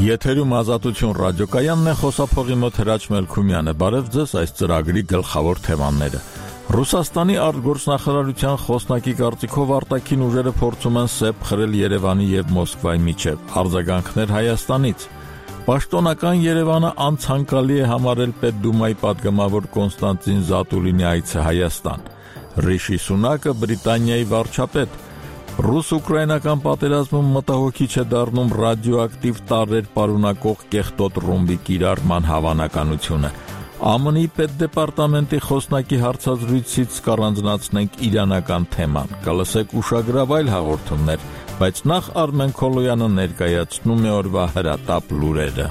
Եթերում Ազատություն ռադիոկայանն է, խոսափողի մոտ Հրաչ Մելքումյանը։ Բարև ձեզ, այս ծրագրի գլխավոր թեմաները։ Ռուսաստանի արտգործնախարարության խոսնակի կարծիքով արտաքին ուժերը փորձում են սեպ խրել Երևանի եւ Մոսկվայի միջև։ Արձագանքներ Հայաստանից։ Պաշտոնական Երևանը անցանկալի է համարել Պետդումայի պատգամավոր Կոնստանտին Զատուլինի այցը Հայաստան։ Ռիշի Սունակը Բրիտանիայի վարչապետ։ Ռուս-ուկրաինական պատերազմում մտահոգիչ է դառնում ռադիոակտիվ տարրեր պարունակող կեղտոտ ռումբի կիրառման հավանականությունը։ ԱՄՆ-ի պետդեպարտամենտի խոսնակի հարցազրույցից կառանձնացնենք իրանական թեման։ Կլսեք ուշագրավ այլ հաղորդումներ, բայց նախ Արմեն Քոլոյանը ներկայացնում է օրվա հրատապ լուրերը։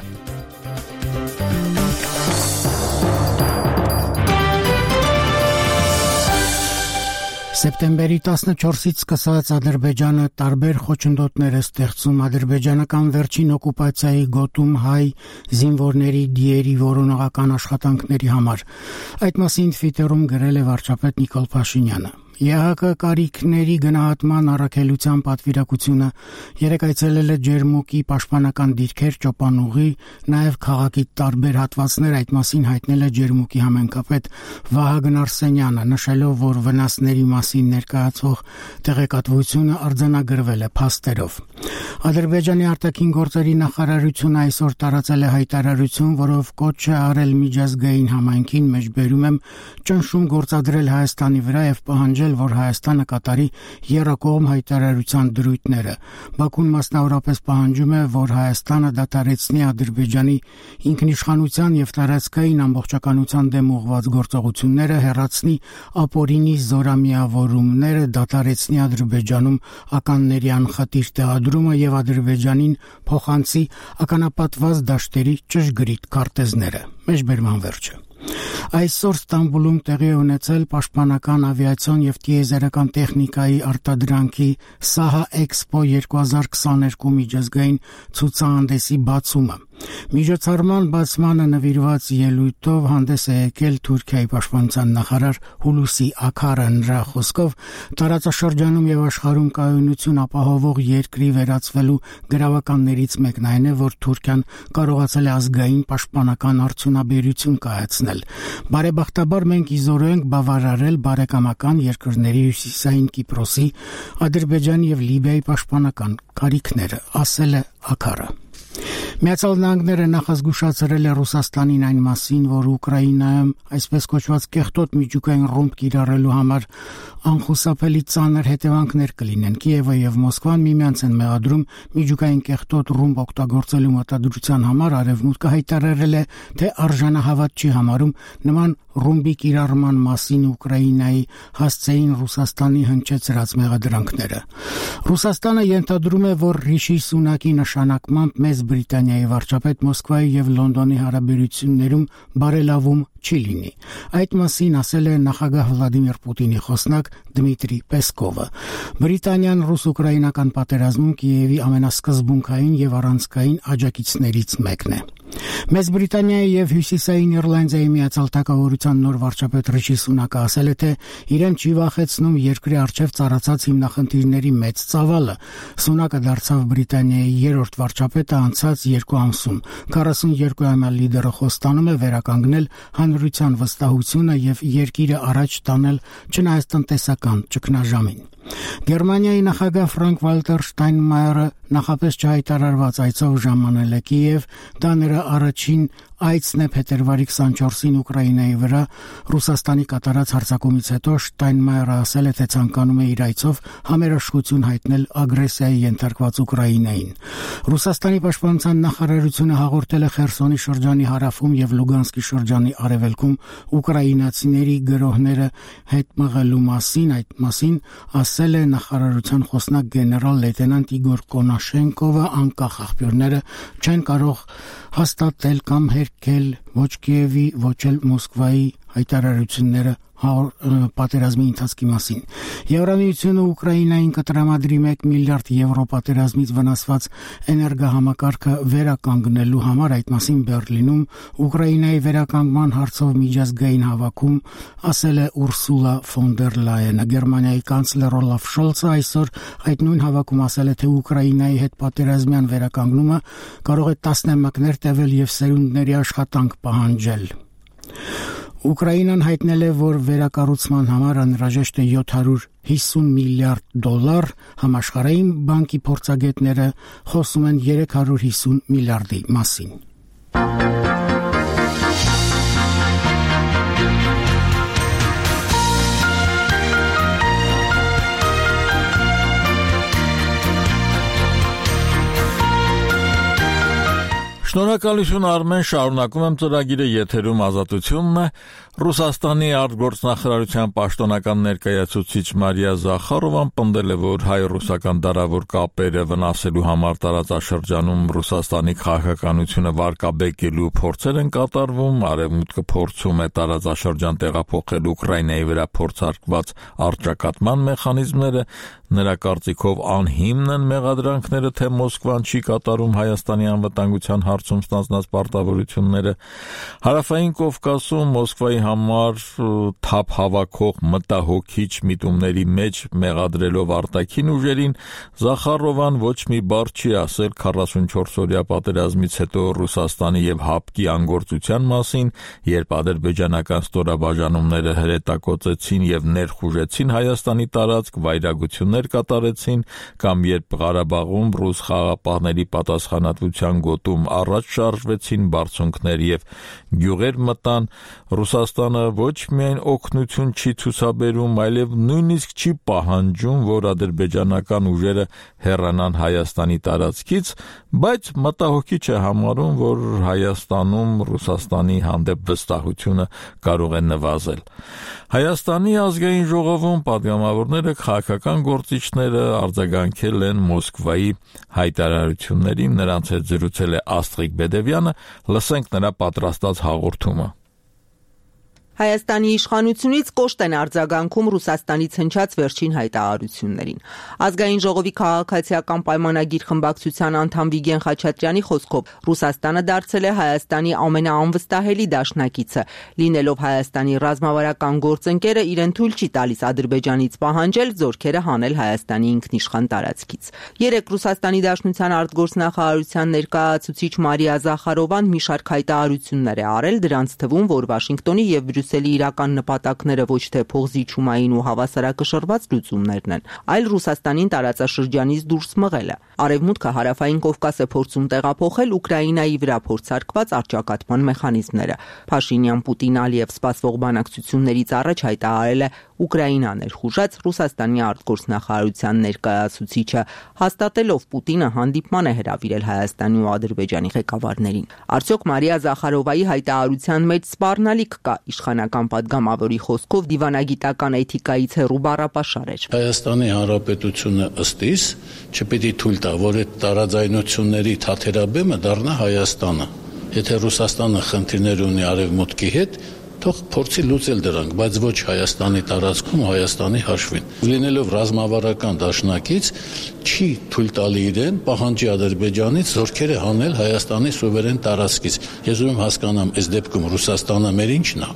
Սեպտեմբերի 14-ից սկսած Ադրբեջանը տարբեր խոչընդոտներ է ստեղծում ադրբեջանական վերջին օկուպացիայի գոտում հայ զինվորների դիերի որոնողական աշխատանքների համար։ Այդ մասին Twitter-ում գրել է վարչապետ Նիկոլ Փաշինյանը։ ԵՀԿ կարիքների գնահատման առաքելության պատվիրակությունը երեկ այցելել է Ջերմուկի պաշտպանական դիրքեր Ճոպանուղի, նաև քաղաքի տարբեր հատվածներ, այդ մասին հայտնել է Ջերմուկի համայնքապետ Վահագն Արսենյանը, նշելով, որ վնասների մասին ներկայացվող տեղեկատվությունը արձանագրվել է փաստերով։ Ադրբեջանի արտաքին գործերի նախարարությունը այսօր տարածել է հայտարարություն, որով կոչ է արել միջազգային համայնքին, մեջբերում եմ, ճնշում գործադրել Հայաստանի վրա եւ պահանջել, որ Հայաստանը կատարի եռակողմ հայտարարության դրույթները։ Բաքուն մասնավորապես պահանջում է, որ Հայաստանը դադարեցնի Ադրբեջանի ինքնիշխանության եւ տարածքային ամբողջականության դեմ ուղղված գործողությունները, հեռացնի ապօրինի զորամիավորումները, դադարեցնի Ադրբեջանում ականների անխտիր տեղադրումը եւ Ադրբեջանին փոխանցի ականապատված դաշտերի ճշգրիտ քարտեզները։ Մեջբերման վերջը։ Այսօր Ստամբուլում տեղի ունեցել պաշտպանական ավիացիոն եւ տիեզերական տեխնիկայի արտադրանքի Սահա Էքսպո 2022 միջազգային ցուցահանդեսի բացումը։ Միջոցառման բացմանը նվիրված ելույթով հանդես է եկել Թուրքիայի պաշտպանության նախարար Հուլուսի Աքարը։ Նրա խոսքով տարածաշրջանում եւ աշխարհում կայունություն ապահովող երկրի վերածվելու գրավականներից մեկն այն է, որ Թուրքիան կարողացել է ազգային պաշտպանական արդյունաբերություն կայացնել։ Բարեբախտաբար մենք իզորու ենք բավարարել բարեկամական երկրների Հյուսիսային Կիպրոսի, Ադրբեջանի եւ Լիբիայի պաշտպանական կարիքները, ասել է Աքարը։ Միացյալ Նահանգները նախազգուշացրել է Ռուսաստանին այն մասին, որ Ուկրաինայում այսպես կոչված կեղտոտ միջուկային ռումբ կիրառելու համար անխուսափելի ծանր հետևանքներ կլինեն։ Կիևը եւ Մոսկվան միմյանց են մեղադրում միջուկային կեղտոտ ռումբ օգտագործելու մտադրության համար։ Արևմուտքը հայտարարել է, թե արժանահավատ չի համարում նման ռումբի կիրառման մասին Ուկրաինայի հասցեին Ռուսաստանի հնչեցրած մեղադրանքները։ Ռուսաստանը ենթադրում է, որ Ռիշի Սունակի նշանակմամբ Մեծ Բրիտանիայի վարչապետ Մոսկվայի եւ Լոնդոնի հարաբերություններում բարելավում չի լինի։ Այդ մասին ասել է նախագահ Վլադիմիր Պուտինի խոսնակ Դմիտրի Պեսկովը։ Բրիտանիան ռուս-ուկրաինական պատերազմում Կիևի ամենասկզբունքային եւ առանցքային աջակիցներից մեկն է։ Մեծ Բրիտանիայի եւ Հյուսիսային Իռլանդիայի միացյալ թագավորության նոր վարչապետ Ռիշի Սունակը ասել է, թե իրեն չի վախեցնում երկրի առջև ծառացած հիմնախնդիրների մեծ ծավալը։ Սունակը դարձավ Բրիտանիայի երրորդ վարչապետը անցած 2 ամսում։ 42-ամյա լիդերը խոստանում է վերականգնել հանրության վստահությունը եւ երկիրը առաջ տանել չնայած տնտեսական ճգնաժամին։ Գերմանիայի նախագահ Ֆրանկ Վալտեր Շտայնմայերը նախապես չհայտարարված այցով ժամանել է Կիև, դա նրա առաջին այցն է փետրվարի 24-ին Ուկրաինայի վրա Ռուսաստանի կատարած հարձակումից հետո։ Շտայնմայերը ասել է, թե ցանկանում է իր այցով համերաշխություն հայտնել ագրեսիայի ենթարկված Ուկրաինային։ Ռուսաստանի պաշտպանության նախարարությունը հաղորդել է Խերսոնի շրջանի հարավում եւ Լուգանսկի շրջանի արևելքում ուկրաինացիների գրոհները հետ մղելու մասին։ Այդ մասին ասել է նախարարության խոսնակ գեներալ լեյտենանտ Իգոր Կոնաշենկովը, անկախ աղբյուրները չեն կարող հաստատել կամ հերքել ոչ Կիևի, ոչ էլ Մոսկվայի հայտարարությունները պատերազմի ընթացքի մասին։ Եվրամիությունը Ուկրաինային կտրամադրի 1 միլիարդ եվրո պատերազմից վնասված էներգահամակարգը վերականգնելու համար, այդ մասին Բերլինում Ուկրաինայի վերականգնման հարցով միջազգային հավաքում ասել է Ուրսուլա ֆոն դեր Լայենը։ Գերմանիայի կանցլեր Օլաֆ Շոլցը այսօր այդ նույն հավաքում ասել է, թե Ուկրաինայի հետ պատերազմյան վերականգնումը կարող է տասնամյակներ տևել եւ սերունդների աշխատանք պահանջել։ Ուկրաինան հայտնել է, որ վերակառուցման համար անհրաժեշտ է $750 միլիարդ, համաշխարհային բանկի փորձագետները խոսում են 350 միլիարդի մասին։ Շնորհակալություն Արմեն, շարունակում եմ ծրագիրը, եթերում Ազատությունն է։ Ռուսաստանի արտգործնախարարության պաշտոնական ներկայացուցիչ Մարիա Զախարովան պնդել է, որ հայ-ռուսական դարավոր կապերը վնասելու համար տարածաշրջանում Ռուսաստանի քաղաքականությունը վարկաբեկելու փորձեր են կատարվում, Արևմուտքը փորձում է տարածաշրջան տեղափոխել Ուկրաինայի վրա փորձարկված առճակատման մեխանիզմները, նրա կարծիքով անհիմն են մեղադրանքները, թե Մոսկվան չի կատարում Հայաստանի անվտանգության հարցում ստանձնած պարտավորությունները։ Հարավային Կովկասում Մոսկվայի համար թափ հավաքող մտահոգիչ միտումների մեջ մեղադրելով արտաքին ուժերին, Զախարովան ոչ մի բառ չի ասել 44-օրյա պատերազմից հետո Ռուսաստանի եւ ՀԱՊԿ-ի անգործության մասին, երբ ադրբեջանական ստորաբաժանումները հրետակոծեցին եւ ներխուժեցին Հայաստանի տարածք, վայրագություններ կատարեցին, կամ երբ Ղարաբաղում ռուս խաղաղապահների պատասխանատվության գոտում առաջ շարժվեցին բարձունքներ եւ գյուղեր մտան, Ռուսաստանը ոչ միայն օգնություն չի ցուցաբերում, այլև նույնիսկ չի պահանջում, որ ադրբեջանական ուժերը հեռանան Հայաստանի տարածքից, բայց մտահոգիչ է համարում, որ Հայաստանում Ռուսաստանի հանդեպ վստահությունը կարող է նվազել։ Հայաստանի ազգային ժողովում պատգամավորները, քաղաքական գործիչները արձագանքել են Մոսկվայի հայտարարություններին, նրանց հետ զրուցել է Աստղիկ Բեդևյանը, լսենք նրա պատրաստած հաղորդումը։ Հայաստանի իշխանությունից կոշտ են արձագանքում Ռուսաստանից հնչած վերջին հայտարարություններին։ Ազգային ժողովի քաղաքացիական պայմանագիր խմբակցության անդամ Վիգեն Խաչատրյանի խոսքով Ռուսաստանը դարձել է Հայաստանի ամենաանվստահելի դաշնակիցը, լինելով Հայաստանի ռազմավարական գործընկերը, իրեն թույլ չի տալիս Ադրբեջանից պահանջել զորքերը հանել Հայաստանի ինքնիշխան տարածքից։ Երեկ Ռուսաստանի Դաշնության արտգործնախարարության ներկայացուցիչ Մարիա Զախարովան մի շարք հայտարարություններ է արել, դրանց թվում, որ Վաշինգտոնի եւ Բրյուսելի իրական նպատակները ոչ թե փողզիչումային ու հավասարակշռված լուծումներն են, այլ Ռուսաստանին տարածաշրջանից դուրս մղելը։ Արևմուտքը Հարավային Կովկաս է փորձում տեղափոխել Ուկրաինայի վրա փորձարկված առճակատման մեխանիզմները։ Փաշինյան-Պուտին-Ալիև սպասվող բանակցություններից առաջ հայտարարել է Ուկրաինա ներխուժած Ռուսաստանի արտգործնախարարության ներկայացուցիչը, հաստատելով Պուտինը հանդիպման է հրավիրել Հայաստանի ու Ադրբեջանի ղեկավարներին։ Արդյոք Մարիա Զախարովայի հայտարարության մեջ սպառնալիք կա իշխանական падգամավորի խոսքով դիվանագիտական էթիկայից հեռու բառապաշար էր։ Հայաստանի Հանրապետությունը ըստ իս չպետք է թույլ տա, որ այդ տարաձայնությունների թաթերաբեմը դառնա Հայաստանը։ Եթե Ռուսաստանը խնդիրներ ունի Արևմուտքի հետ, թող փորձի լուծել դրանք, բայց ոչ Հայաստանի տարածքում, Հայաստանի հաշվին։ Լինելով ռազմավարական դաշնակից, չի թույլ տալի իրեն պահանջի Ադրբեջանից զորքերը հանել Հայաստանի սուվերեն տարածքից։ Ես ուզում եմ հասկանամ, այս դեպքում Ռուսաստանը մեր ի՞նչն է։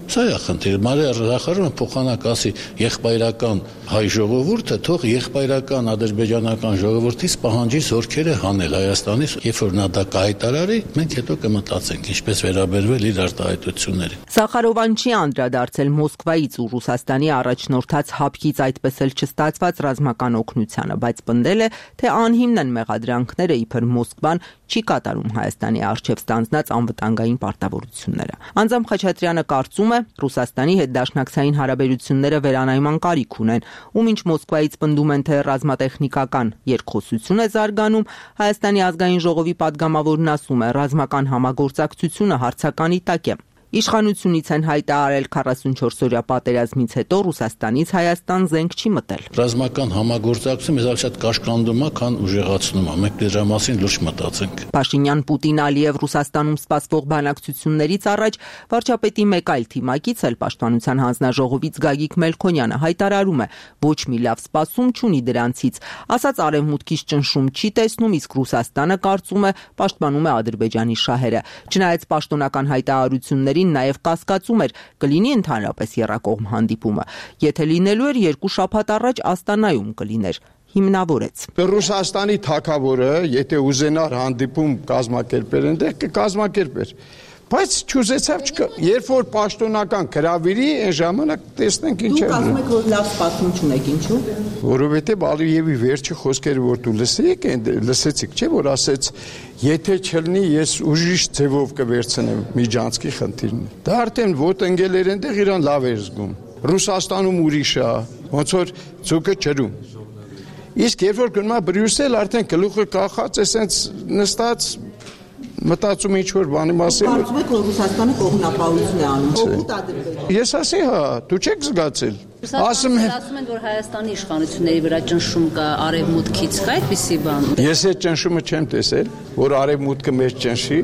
Սա է խնդիրը։ Մարիա Զախարովան փոխանակ ասի եղբայրական հայ ժողովուրդը թող եղբայրական ադրբեջանական ժողովրդից պահանջի զորքերը հանել Հայաստանից, երբ որ նա դա կհայտարարի, մենք հետո կմտածենք ինչպես վերաբերվել իր արտահայտություններին։ Զախարովան չի անդրադարձել Մոսկվայից ու Ռուսաստանի առաջնորդած ՀԱՊԿ-ից այդպես էլ չստացված ռազմական օգնությանը, բայց պնդել է, թե անհիմն են մեղադրանքները, իբր Մոսկվան չի կատարում Հայաստանի առջև ստանձնած անվտանգային պարտավորությունները։ Անձամբ Խաչատրյանը կարծում է, Ռուսաստանի հետ դաշնակցային հարաբերությունները վերանայման կարիք ունեն, ու մինչ Մոսկվայից պնդում են, թե ռազմատեխնիկական երկխոսություն է զարգանում, Հայաստանի ազգային ժողովի падգամավորն ասում է, ռազմական համագործակցությունը հարցականի տակ է։ Իշխանությունից են հայտարարել 44-օրյա պատերազմից հետո Ռուսաստանից Հայաստան զենք չի մտել։ Ռազմական համագործակցությունը մեզ շատ կաշկանդում է, քան ուժեղացնում է։ Մենք դրա մասին լուրջ մտածենք։ Փաշինյան-Պուտին-Ալիև Ռուսաստանում սպասվող բանակցություններից առաջ վարչապետի մեկ այլ թիմակից էլ Պաշտպանության հանձնաժողովից Գագիկ Մելքոնյանը հայտարարում է, ոչ մի լավ սպասում չունի դրանցից, ասաց արևմուտքից ճնշում չի տեսնում, իսկ Ռուսաստանը կարծում է պաշտպանում է Ադրբեջանի շահերը։ Չնայած պաշտոնական հայտարարություններին նաև կասկածում էր, կլինի ընդհանրապես եռակողմ հանդիպումը։ Եթե լինելու էր, 2 շաբաթ առաջ Աստանայում կլիներ։ Հիմնավորեց։ Ռուսաստանի թագավորը, եթե ուզենար հանդիպում կազմակերպել այնտեղ կկազմակերպեր, բայց չուզեցավ, երբ որ պաշտոնական գրավիրի, այն ժամանակ տեսնենք ինչ է։ Դուք ասում եք, որ լավ սպասում չունեք, ինչու՞։ Որովհետև Ալիևի վերջի խոսքերը, որ դու լսեցիք, չէ՞ որ ասեց, եթե չլինի, ես ուժիշ ձևով կվերցնեմ Միջանցքի խնդիրը։ Դա արդեն ոտ ընկել էր այնտեղ, իրան լավ էր զգում։ Ռուսաստանում ուրիշ է, ոնց որ ցուկը ջրում։ Իսկ երբ որ գնում է Բրյուսել, արդեն գլուխը կախած, այսպես նստած մտածում ինչ որ բանի մասին։ Կարծում եք, որ Ռուսաստանը կողմնապահություն է անում, օգուտ Ադրբեջան։ Ես ասի, հա, դու չեք զգացել։ Ասում են, որ Հայաստանի իշխանությունների վրա ճնշում կա արևմուտքից, կա այդպիսի բան։ Ես այդ ճնշումը չեմ տեսել, որ արևմուտքը մեզ ճնշի։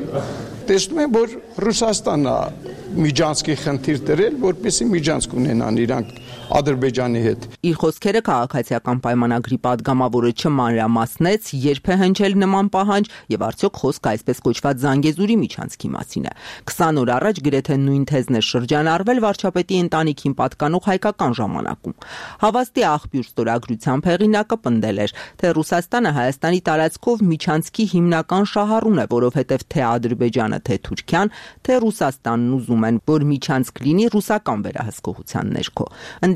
Տեսնում եմ, որ Ռուսաստանն է Միջանցքի խնդիր դրել, որպեսզի Միջանցք ունենան իրանք Ադրբեջանի հետ։ Իր խոսքերը քաղաքացիական պայմանագրի падգամավորը չմանրամասնեց, երբ է հնչել նման պահանջ եւ արդյոք խոսքը այսպես կոչված Զանգեզուրի միջանցքի մասին է։ 20 օր առաջ գրեթե նույն թեզն է շրջանառվել վարչապետի ընտանիքին պատկանող հայկական ժամանակում։ Հավաստի աղբյուր ստորագրությամբ հեղինակը պնդել էր, թե Ռուսաստանը Հայաստանի տարածքով միջանցքի հիմնական շահառուն է, որովհետեւ թե Ադրբեջանը, թե Թուրքիան, թե Ռուսաստանն ուզում են, որ միջանցք լինի ռուսական վերահսկողության ներքո։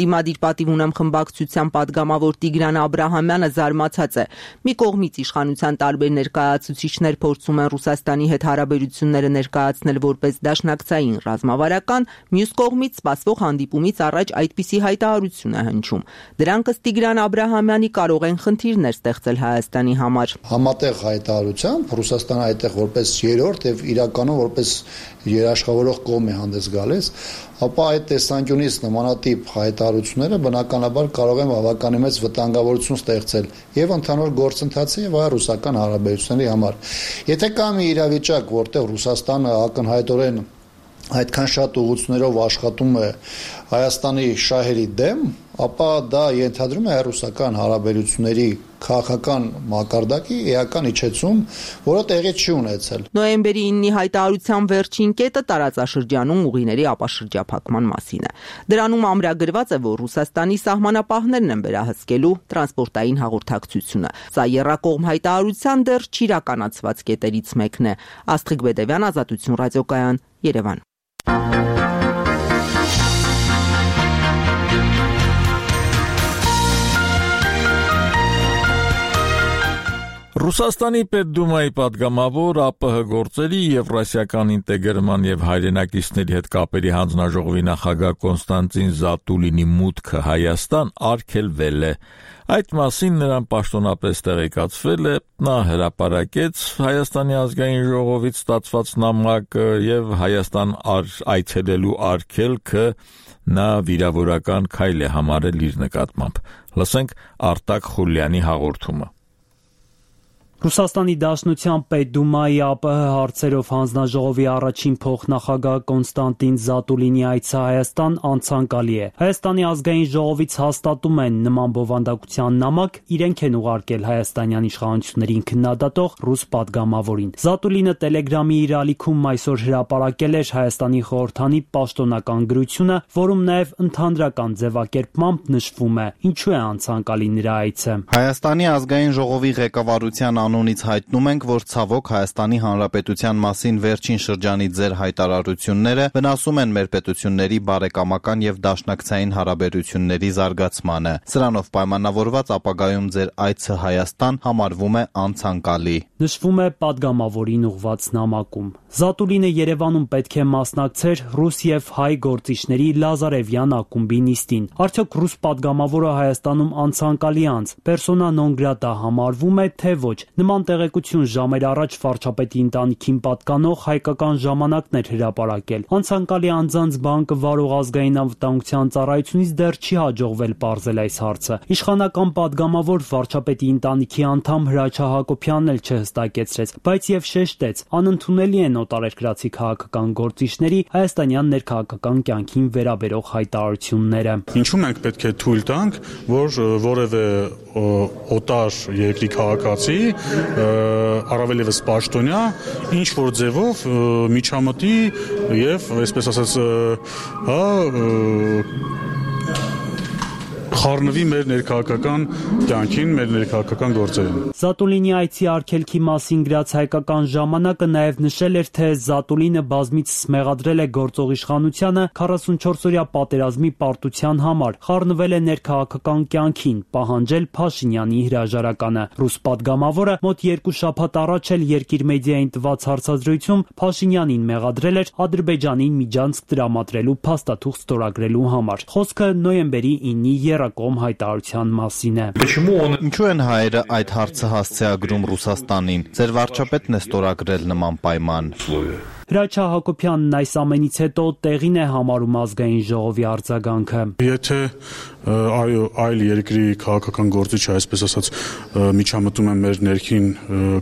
Ընդդիմադիր պատիվ ունեմ խմբակցության падգամավոր Տիգրան Աբրահամյանը զարմացած է։ Մի կողմից իշխանության տարբեր ներկայացուցիչներ փորձում են Ռուսաստանի հետ հարաբերությունները ներկայացնել որպես դաշնակցային ռազմավարական, մյուս կողմից սպասվող հանդիպումից առաջ այդպիսի հայտարարություն է հնչում։ Դրանք ըստ Տիգրան Աբրահամյանի կարող են խնդիրներ ստեղծել Հայաստանի համար։ Համատեղ հայտարարությամբ Ռուսաստանը այդտեղ որպես երրորդ եւ իրականում որպես երաշխավորող կողմ է հանդես գալիս, ապա այդ տեսանկյունից նմանատիպ հայտարարությունները բնականաբար կարող են բավականին մեծ վտանգավորություն ստեղծել եւ ընդհանուր գործընթացի եւ հայ-ռուսական հարաբերությունների համար։ Եթե կա մի իրավիճակ, որտեղ Ռուսաստանը ակնհայտորեն այդքան շատ ուղղություններով աշխատում է Հայաստանի շահերի դեմ, ապա դա ենթադրում է հայ-ռուսական հարաբերությունների քաղաքական մակարդակի էական իջեցում, որը տեղի չի ունեցել։ Նոյեմբերի 9-ի հայտարարության վերջին կետը տարածաշրջանում ուղիների ապաշրջափակման մասին է։ Դրանում ամրագրված է, որ Ռուսաստանի սահմանապահներն են վերահսկելու տրանսպորտային հաղորդակցությունը։ Սա եռակողմ հայտարարության դեռ չիրականացված կետերից մեկն է։ Աստղիկ Բեդևյան, Ազատություն ռադիոկայան, Երևան։ Ռուսաստանի Պետդումայի падգամավոր ԱՊՀ գործերի Եվրասիական ինտեգրման եւ հայրենակիցների հետ կապերի հանձնաժողովի նախագահ Կոնստանտին Զատուլինի մուտքը Հայաստան արգելվել է։ Այդ մասին նրան պաշտոնապես տեղեկացվել է, նա հրապարակեց Հայաստանի ազգային ժողովից ստացված նամակ եւ Հայաստան այցելելու արգելքը նա վիրավորական քայլ է համարել իր նկատմամբ։ Լսենք Արտակ Խուլյանի հաղորդումը։ Ռուսաստանի Դաշնության Պետդումայի ԱՊՀ հարցերով հանձնաժողովի առաջին փոխնախագահ Կոնստանտին Զատուլինի այցը Հայաստան անցանկալի է։ Հայաստանի ազգային ժողովից հաստատում են նման բովանդակության նամակ իրենք են ուղարկել հայաստանյան իշխանություններին քննադատող ռուս падգամավորին։ Զատուլինը Տելեգրամի իր ալիքում այսօր հրապարակել էր Հայաստանի խորհրդանի պաշտոնական գրությունը, որում նաև ընդհանրական ձևակերպմամբ նշվում է, ինչու է անցանկալի նրա այցը։ Հայաստանի ազգային ժողովի ղեկավարության անունից հայտնում ենք, որ ցավոք Հայաստանի Հանրապետության մասին վերջին շրջանի ձեր հայտարարությունները վնասում են մեր պետությունների բարեկամական եւ դաշնակցային հարաբերությունների զարգացմանը։ Սրանով պայմանավորված ապագայում ձեր այցը Հայաստան համարվում է անցանկալի։ Նշվում է падգամավորին ուղված նամակում։ Զատուլինը Երևանում պետք է մասնակցեր ռուս եւ հայ գործիչների Լազարևյան ակումբի նիստին։ Արդյոք ռուս падգամավորը Հայաստանում անցանկալի անձ, պերսոնա նոն գրատա համարվում է, թե ոչ։ Նման տեղեկություն ժամեր առաջ վարչապետի ընտանիքին պատկանող հայկական ժամանակն էր հրապարակել։ Անցանկալի անձանց բանկը վարող ազգային անվտանգության ծառայությունից դեռ չի հաջողվել պարզել այս հարցը։ Իշխանական падգամավոր վարչապետի ընտանիքի անդամ Հրաչյա Հակոբյանն էլ չհստակեցրեց, բայց եւ շեշտեց, անընդունելի են օտարերկրացի քաղաքական գործիչների հայաստանյան ներքաղաքական կյանքին վերաբերող հայտարարությունները։ Ինչու մենք պետք է թույլ տանք, որ որևէ օտար երկրի քաղաքացի, առավել եւս պաշտոնյա, ինչ որ ձևով միջամտի եւ, այսպես ասած, խառնվի մեր ներքաղաքական կյանքին, մեր ներքաղաքական գործերին։ Զատուլինի այցի արգելքի մասին գրած հայկական ժամանակը նաև նշել էր, թե Զատուլինը բազմիցս մեղադրել է գործող իշխանությանը 44-օրյա պատերազմի պարտության համար, խառնվել է ներքաղաքական կյանքին, պահանջել Փաշինյանի հրաժարականը։ Ռուս падգամավորը մոտ 2 շաբաթ առաջ էլ Երկիր մեդիային տված հարցազրույցում Փաշինյանին մեղադրել էր Ադրբեջանին միջանցք տրամադրելու փաստաթուղթ ստորագրելու համար։ Խոսքը նոյեմբերի 9-ի եռակողմ հայտարարության մասին է։ Ինչու են հայերը այդ հարցը հասցեագրում Ռուսաստանին։ Ձեր վարչապետն է ստորագրել նման պայման։ Հրաչյա Հակոբյանն այս ամենից հետո տեղին է համարում ազգային ժողովի արձագանքը։ Եթե այլ երկրի քաղաքական գործիչը, այսպես ասած, միջամտում է մեր ներքին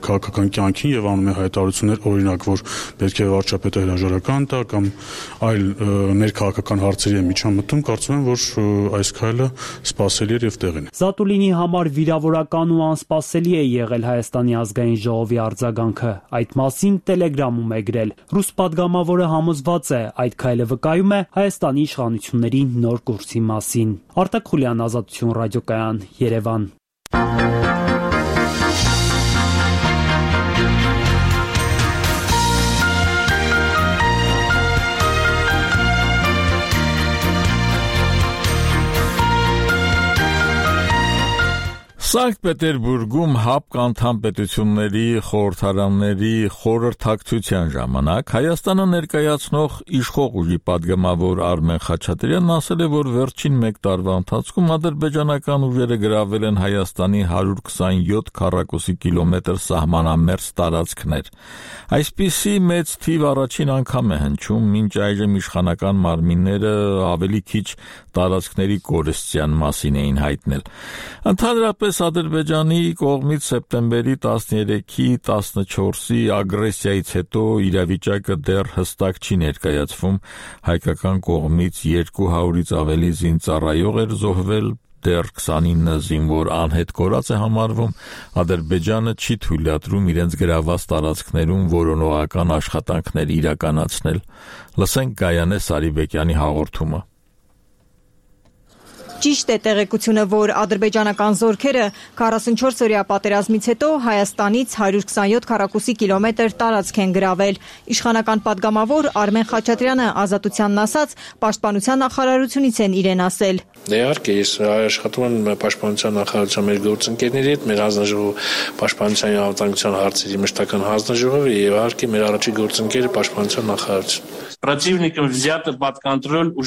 քաղաքական կյանքին եւ անում է հայտարարություններ, օրինակ, որ պետք է վարչապետը հրաժարական տա կամ այլ ներքաղաքական հարցերի է միջամտում, կարծում եմ, որ այս քայլը սպասելի է եւ տեղին է։ Զատուլինի համար վիրավորական ու անսպասելի է եղել Հայաստանի ազգային ժողովի արձագանքը։ Այդ մասին Telegram-ում է գրել։ Ռուս падգամավորը համոզված է, այդ քայլը վկայում է Հայաստանի իշխանությունների նոր կուրսի մասին։ Արտակ Խուլյան, Ազատություն ռադիոկայան, Երևան։ Սանկտ Պետերբուրգում ՀԱՊԿ անդամ պետությունների խորհրդարանների խորհրդակցության ժամանակ Հայաստանը ներկայացնող իշխող ուժի падգամավոր Արմեն Խաչատրյանն ասել է, որ վերջին 1 տարվա ընթացքում ադրբեջանական ուժերը գրավել են Հայաստանի 127 քառակուսի կիլոմետր սահմանամերձ տարածքներ։ Այսպիսի մեծ թիվ առաջին անգամ է հնչում, մինչ այժմ իշխանական մարմինները ավելի քիչ տարածքների կորստյան մասին էին հայտնել։ Ընդհանրապես Ադրբեջանի կողմից սեպտեմբերի 13-ի 14-ի ագրեսիայից հետո իրավիճակը դեռ հստակ չի ներկայացվում, հայկական կողմից 200-ից ավելի զինծառայող էր զոհվել, դեռ 29 զինվոր անհետ կորած է համարվում, Ադրբեջանը չի թույլատրում իրենց գրաված տարածքներում որոնողական աշխատանքներ իրականացնել։ Լսենք Գայանե Սարիբեկյանի հաղորդումը։ Ճիշտ է տեղեկությունը, որ ադրբեջանական զորքերը 44-օրյա պատերազմից հետո Հայաստանից 127 քառակուսի կիլոմետր տարածք են գրավել։ Իշխանական падգամավոր Արմեն Խաչատրյանը Ազատությանն ասաց, պաշտպանության նախարարությունից են իրեն ասել։ Իհարկե, ես աշխատում եմ պաշտպանության նախարարության մեր գործընկերների հետ, մեր հանձնաժողով պաշտպանության եւ անվտանգության հարցերի մշտական հանձնաժողովը եւ իհարկե մեր առաջին գործընկերը պաշտպանության նախարարությունը։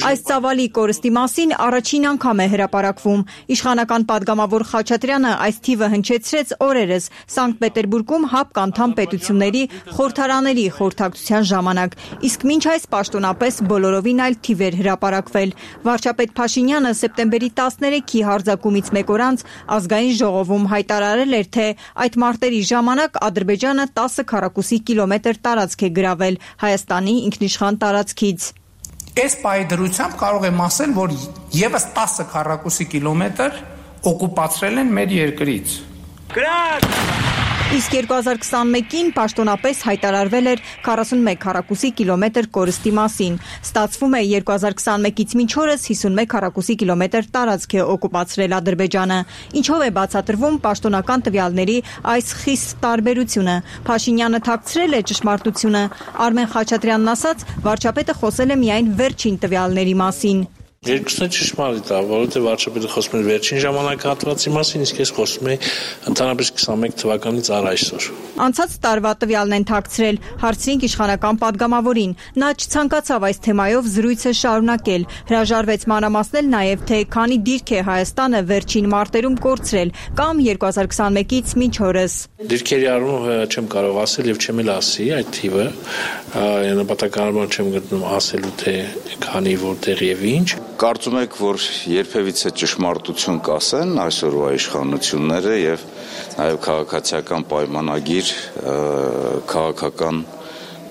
Այս ծավալի կորստի մասին առաջին անգամ է հրապարակվում։ Իշխանական падգամավոր Խաչատրյանը այս թիվը հնչեցրեց օրերս Սանկտ Պետերբուրգում ՀԱՊԿ անդամ պետությունների խորհրդարանների խորհրդակցության ժամանակ, իսկ մինչ այս պաշտոնապես բոլորովին այլ թիվ էր հրապարակվել։ Վարչապետ Փաշինյանը սեպտեմբերի 13-ի հարձակումից մեկ օր անց ազգային ժողովում հայտարարել էր, թե այդ մարտերի ժամանակ Ադրբեջանը 10 քառակուսի կիլոմետր տարածք է գրավել Հայաստանի ինքնիշխան տարածքից։ Այս պայդրությամբ կարող եմ ասել, որ եւս 10 քառակուսի կիլոմետր օկուպացրել են մեր երկրից։ Իսկ 2021-ին պաշտոնապես հայտարարվել էր 41 քառակուսի կիլոմետր կորստի մասին։ Ստացվում է 2021-ից մինչ օրս 51 քառակուսի կիլոմետր տարածք է օկուպացրել Ադրբեջանը։ Ինչով է բացատրվում պաշտոնական տվյալների այս խիստ տարբերությունը։ Փաշինյանը թաքցրել է ճշմարտությունը։ Արմեն Խաչատրյանն ասաց, վարչապետը խոսել է միայն վերջին տվյալների մասին։ Երկուսն է ճշմարիտ, որովհետև վարչապետը խոսում էր վերջին ժամանակահատվածի մասին, իսկ ես խոսում եմ ընդհանրապես 21 թվականից առ այսօր։ Անցած տարվա տվյալն են թաքցրել, հարցրինք իշխանական падգամավորին։ Նա չցանկացավ այս թեմայով զրույցը շարունակել։ Հրաժարվեց մանրամասնել նաև, թե քանի դիրք է Հայաստանը վերջին մարտերում կորցրել կամ 2021-ից մինչ օրս։ Դիրքերի առումով չեմ կարող ասել եւ չեմ էլ ասի այդ թիվը, նպատակարարման չեմ գտնում ասելու թե քանի որտեղ եւ ինչ։ Կարծում եք, որ երբևիցե ճշմարտություն կասեն այսօրվա իշխանությունները եւ նաեւ քաղաքացիական պայմանագիր, քաղաքական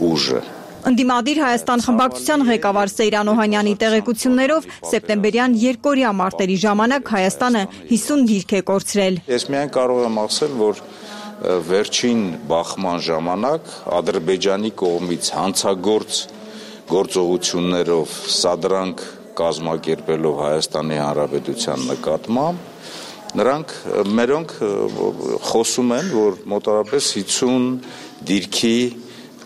ուժը։ Ընդդիմադիր Հայաստան խմբակցության ղեկավար Սեյրան Օհանյանի տեղեկություններով սեպտեմբերյան երկօրյա մարտերի ժամանակ Հայաստանը 50 դիրք է կորցրել։ Ես միայն կարող եմ ասել, որ վերջին բախման ժամանակ Ադրբեջանի կողմից հանցագործ գործողություններով սադրանք կազմակերպելով Հայաստանի Հանրապետության նկատմամբ նրանք խոսում են, որ մոտավորապես 50 դիրքի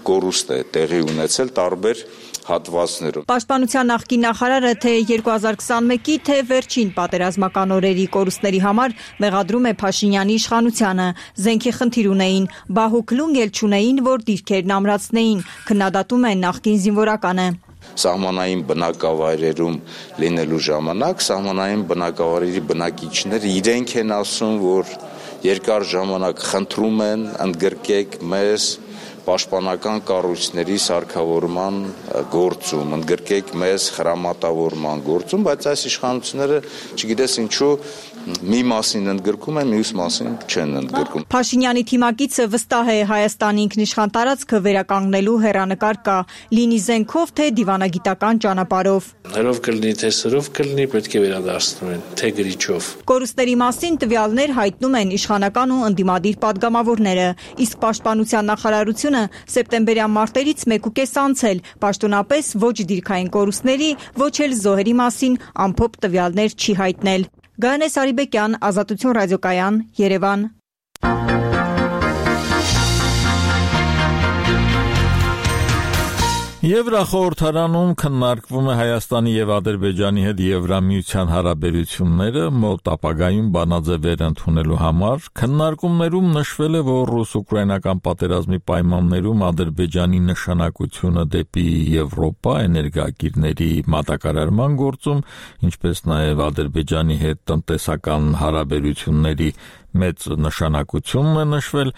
կորուստ է տեղի ունեցել տարբեր հատվածներում։ Պաշտպանության նախկին նախարարը թե 2021-ի, թե վերջին պատերազմական օրերի կորուստների համար մեղադրում է Փաշինյանի իշխանությանը։ Զենքի խնդիր ունեին, բահուկ լունգ էլ չունեին, որ դիրքերն ամրացնեին, քննադատում է նախկին զինվորականը։ Սահմանային բնակավայրերում լինելու ժամանակ սահմանային բնակավայրերի բնակիչները իրենք են ասում, որ երկար ժամանակ խնդրում են ընդգրկեք մեզ պաշտպանական կառույցների սարքավորման գործում, ընդգրկեք մեզ խրամատավորման գործում, բայց այս իշխանությունները չգիտես ինչու մի մասին ընդգրկում են, մյուս մասին չեն ընդգրկում։ Փաշինյանի թիմակիցը վստահ է Հայաստանի ինքնիշխան տարածքը վերականգնելու հեռանկար կա, լինի զենքով, թե դիվանագիտական ճանապարհով։ Հերով կլինի, թե սրով կլինի, պետք է վերադարձնում են, թե գրիչով։ Կորուստների մասին տվյալներ հայտնում են իշխանական ու ընդդիմադիր падգամավորները, իսկ Պաշտպանության նախարարությունը սեպտեմբերյան մարտերից 1.5 անցել, պաշտոնապես ոչ դիրքային կորուստների, ոչ էլ զոհերի մասին ամփոփ տվյալներ չի հայտնել։ Գայանե Սարիբեկյան, Ազատություն ռադիոկայան, Երևան։ Եվրախորհրդարանում քննարկվում է Հայաստանի եւ Ադրբեջանի հետ Եվրամիության հարաբերությունները մոտ ապագայում բանաձևեր ընդունելու համար։ Քննարկումներում նշվել է, որ ռուս-ուկրաինական պատերազմի պայմաններում Ադրբեջանի նշանակությունը դեպի Եվրոպա էներգակիրների մատակարարման գործում, ինչպես նաեւ Ադրբեջանի հետ տնտեսական հարաբերությունների մեծ նշանակությունն է նշվել,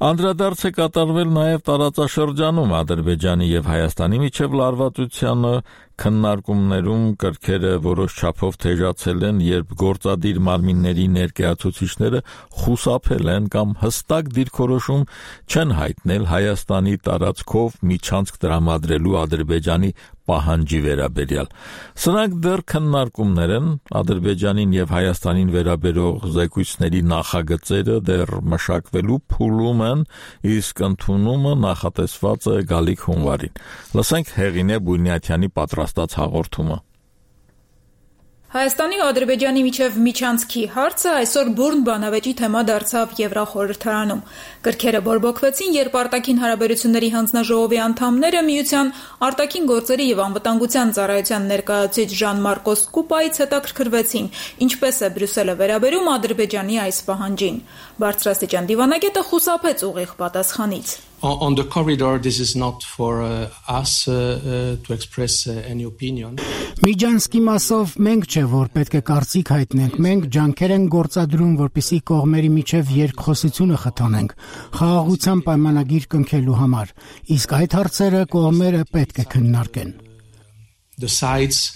անդրադարձ է կատարվել նաև տարածաշրջանում Ադրբեջանի եւ Հայաստանի միջև լարվածությանը, քննարկումներում կրքերը որոշ չափով թեժացել են, երբ գործադիր մարմինների ներկայացուցիչները խուսափել են կամ հստակ դիրքորոշում չեն հայտնել Հայաստանի տարածքով միջանցք տրամադրելու Ադրբեջանի պահանջի վերաբերյալ։ Սրանք դեռ քննարկումներ են, Ադրբեջանին եւ Հայաստանին վերաբերող զեկույցների նախագծերը դեռ մշակվելու փուլում են, իսկ ընդունումը նախատեսված է գալիք հունվարին։ Լսենք Հեղինե Բույնյաթյանի պատրաստած հաղորդումը։ Հայաստանի ու Ադրբեջանի միջև միջանցքի հարցը այսօր բուրն բանավեճի թեմա դարձավ Եվրախորհրդարանում։ Կրքերը բորբոքվեցին, երբ արտաքին հարաբերությունների հանձնաժողովի անդամները միության արտաքին գործերի եւ անվտանգության ծառայության ներկայացուցիչ Ժան-Մարկոս Կուպայից հետաքրքրվեցին, ինչպես է Բրյուսելը վերաբերում Ադրբեջանի այս պահանջին։ Բարձրաստիճան դիվանագետը խուսափեց ուղիղ պատասխանից։ On the corridor, this is not for us to express any opinion. Միջանցքի մասով մենք չէ, որ պետք է կարծիք հայտնենք, մենք ջանքեր ենք գործադրում, որպեսզի կողմերի միջև երկխոսությունը խթանենք, խաղաղության պայմանագիր կնքելու համար, իսկ այդ հարցերը կողմերը պետք է քննարկեն։ The sides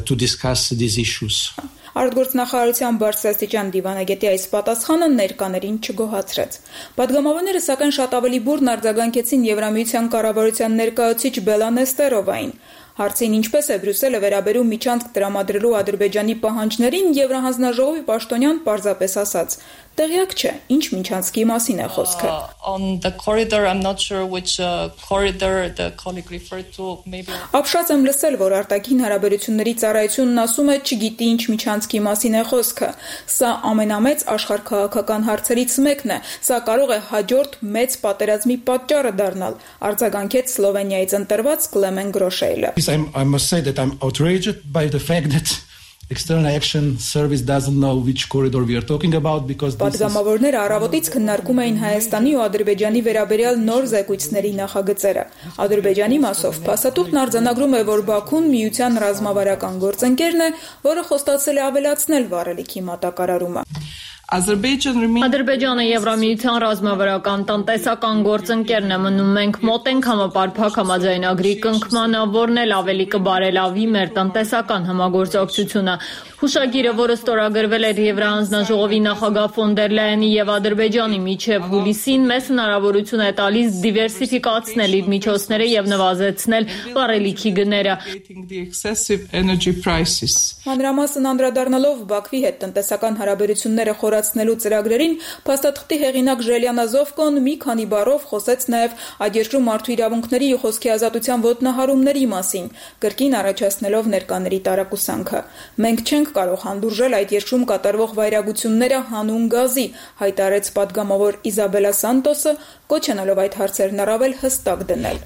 to discuss these issues. Արտգործնախարարության բարձրաստիճան դիվանագետի այս պատասխանը ներկաներին չգոհացրեց։ Պատգամավորները սակայն շատ ավելի բուրն արձագանքեցին Եվրամիության կառավարության ներկայացուցիչ Բելա Նեստերովային։ Հարցին ինչպես է Բրյուսելը վերաբերում միջանցք տրամադրելու Ադրբեջանի պահանջներին, Եվրահանձնաժողովի պաշտոնյան պարզապես ասաց. Տեղյակ չէ, ինչ Միչանսկի մասին է խոսքը։ On the corridor, I'm not sure which corridor the colleague referred to, maybe. Ապշած եմ լսել, որ արտաքին հարաբերությունների ծառայությունն ասում է, չգիտի ինչ Միչանսկի մասին է խոսքը։ Սա ամենամեծ աշխարհքաղաքական հարցերից մեկն է։ Սա կարող է հաջորդ մեծ պատերազմի պատճառը դառնալ, արձագանքեց Սլովենիայից ընտրված Կլեմեն Գրոշեյլը։ I must say that I'm outraged by the fact that External Action Service doesn't know which corridor we are talking about because Պատգամավորները առավոտից քննարկում էին Հայաստանի ու Ադրբեջանի վերաբերյալ նոր զեկույցների նախագծերը։ Ադրբեջանի մասով փաստաթուղթն արձանագրում է, որ Բաքուն միության ռազմավարական գործընկերն է, որը խոստացել է ավելացնել վառելիքի մատակարարումը։ Ադրբեջանը Եվրամիության ռազմավարական տնտեսական գործընկերն է մնում, մենք մոտ ենք համապարփակ համաձայնագրի կնքմանը, որն էլ ավելի կբարելավի մեր տնտեսական համագործակցությունը։ Հուշագիրը, որը ստորագրվել էր Եվրահանձնաժողովի նախագահ ֆոն դեր Լայենի եւ Ադրբեջանի միջև հուլիսին, մեզ հնարավորություն է տալիս դիվերսիֆիկացնել իր միջոցները եւ նվազեցնել վառելիքի գները։ Մանրամասն անդրադառնալով Բաքվի հետ տնտեսական հարաբերությունները խորացնելու ծրագրերին, փաստաթղթի հեղինակ Ժելիանա Զովկոն մի քանի բառով խոսեց նաեւ այդ երկրում մարդու իրավունքների ու խոսքի ազատության ոտնահարումների մասին, կրկին առաջացնելով ներկաների տարակուսանքը։ Մենք չենք կարող հանդուրժել այդ երկրում կատարվող վայրագությունները հանուն գազի, հայտարարեց պատգամավոր Իզաբելա Սանտոսը, կոչ անելով այդ հարցերն առավել հստակ դնել։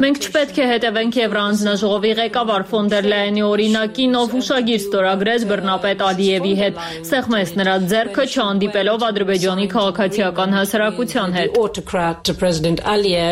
Մենք չպետք է հետևենք Եվրահանձնաժողովի ղեկավար ֆոն դեր Լայենի օրինակին, ով հուշագիր ստորագրեց բռնապետ Ալիևի հետ, սեղմեց նրա ձեռքը չհանդիպելով Ադրբեջանի քաղաքացիական հասարակության հետ։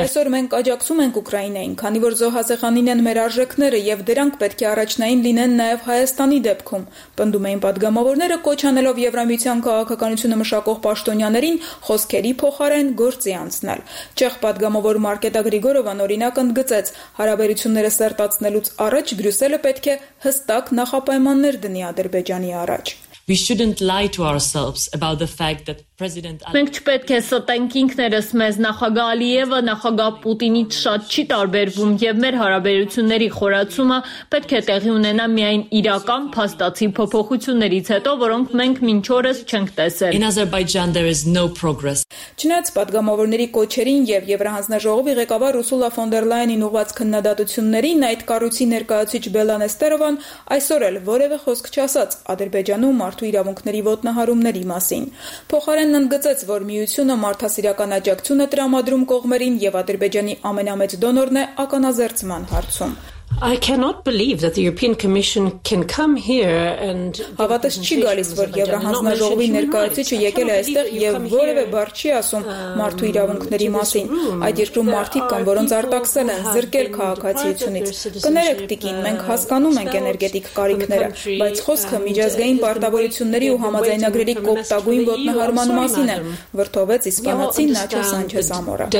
Այսօր մենք աջակցում ենք Ուկրաինային, քանի որ զոհասեղանին են մեր արժեքները եւ դրանք պետք է առաջնային լինեն նաեւ Հայաստանի դեպքում, պնդում էին պատգամավորները, կոչ անելով Եվրամիության քաղաքականությունը մշակող պաշտոնյաներին խոսքերի փոխարեն գործի անցնել։ Չեխ պատգամավոր Մարկետա Գրիգորովան օրինակ ընդգծեց, հարաբերությունները սերտացնելուց առաջ Բրյուսելը պետք է հստակ նախապայմաններ դնի Ադրբեջանի առաջ։ We shouldn't lie to ourselves about the fact that Մենք չպետք է ստենք ինքներս մեզ, նախագահ Ալիևը նախագահ Պուտինից շատ չի տարբերվում եւ մեր հարաբերությունների խորացումը պետք է տեղի ունենա միայն իրական փաստացի փոփոխություններից հետո, որոնք մենք մինչ օրս չենք տեսել։ In Azerbaijan there is no progress. Չնայած պատգամավորների կոչերին եւ Եվրահանձնաժողովի ղեկավար Ուրսուլա ֆոն դեր Լայենին ուղղված քննադատություններին այդ կառույցի ներկայացուցիչ Բելա Նեստերովան այսօր էլ որևէ խոսք չասաց Ադրբեջանում մարդու իրավունքների ոտնահարումների մասին։ Փոխարենն ընդգծեց, որ միությունը մարդասիրական աջակցություն է տրամադրում կողմերին եւ Ադրբեջանի ամենամեծ դոնորն է ականազերծման հարցում։ I cannot believe that the European Commission can come here and Հավատս չի գալիս, որ Եվրահանձնաժողովի ներկայացուցիչը եկել է այստեղ եւ որևէ բառ չի ասում մարդու իրավունքների մասին։ Այդ երկրում մարդիկ կան, որոնց արտաքսել են, զրկել քաղաքացիությունից։ Կներեք, տիկին, մենք հասկանում ենք էներգետիկ կարիքները, բայց խոսքը միջազգային պարտավորությունների ու համաձայնագրերի կոպտագույն ոտնահարման մասին է, վրդովեց իսպանացի Նաչո Սանչես Ամորը։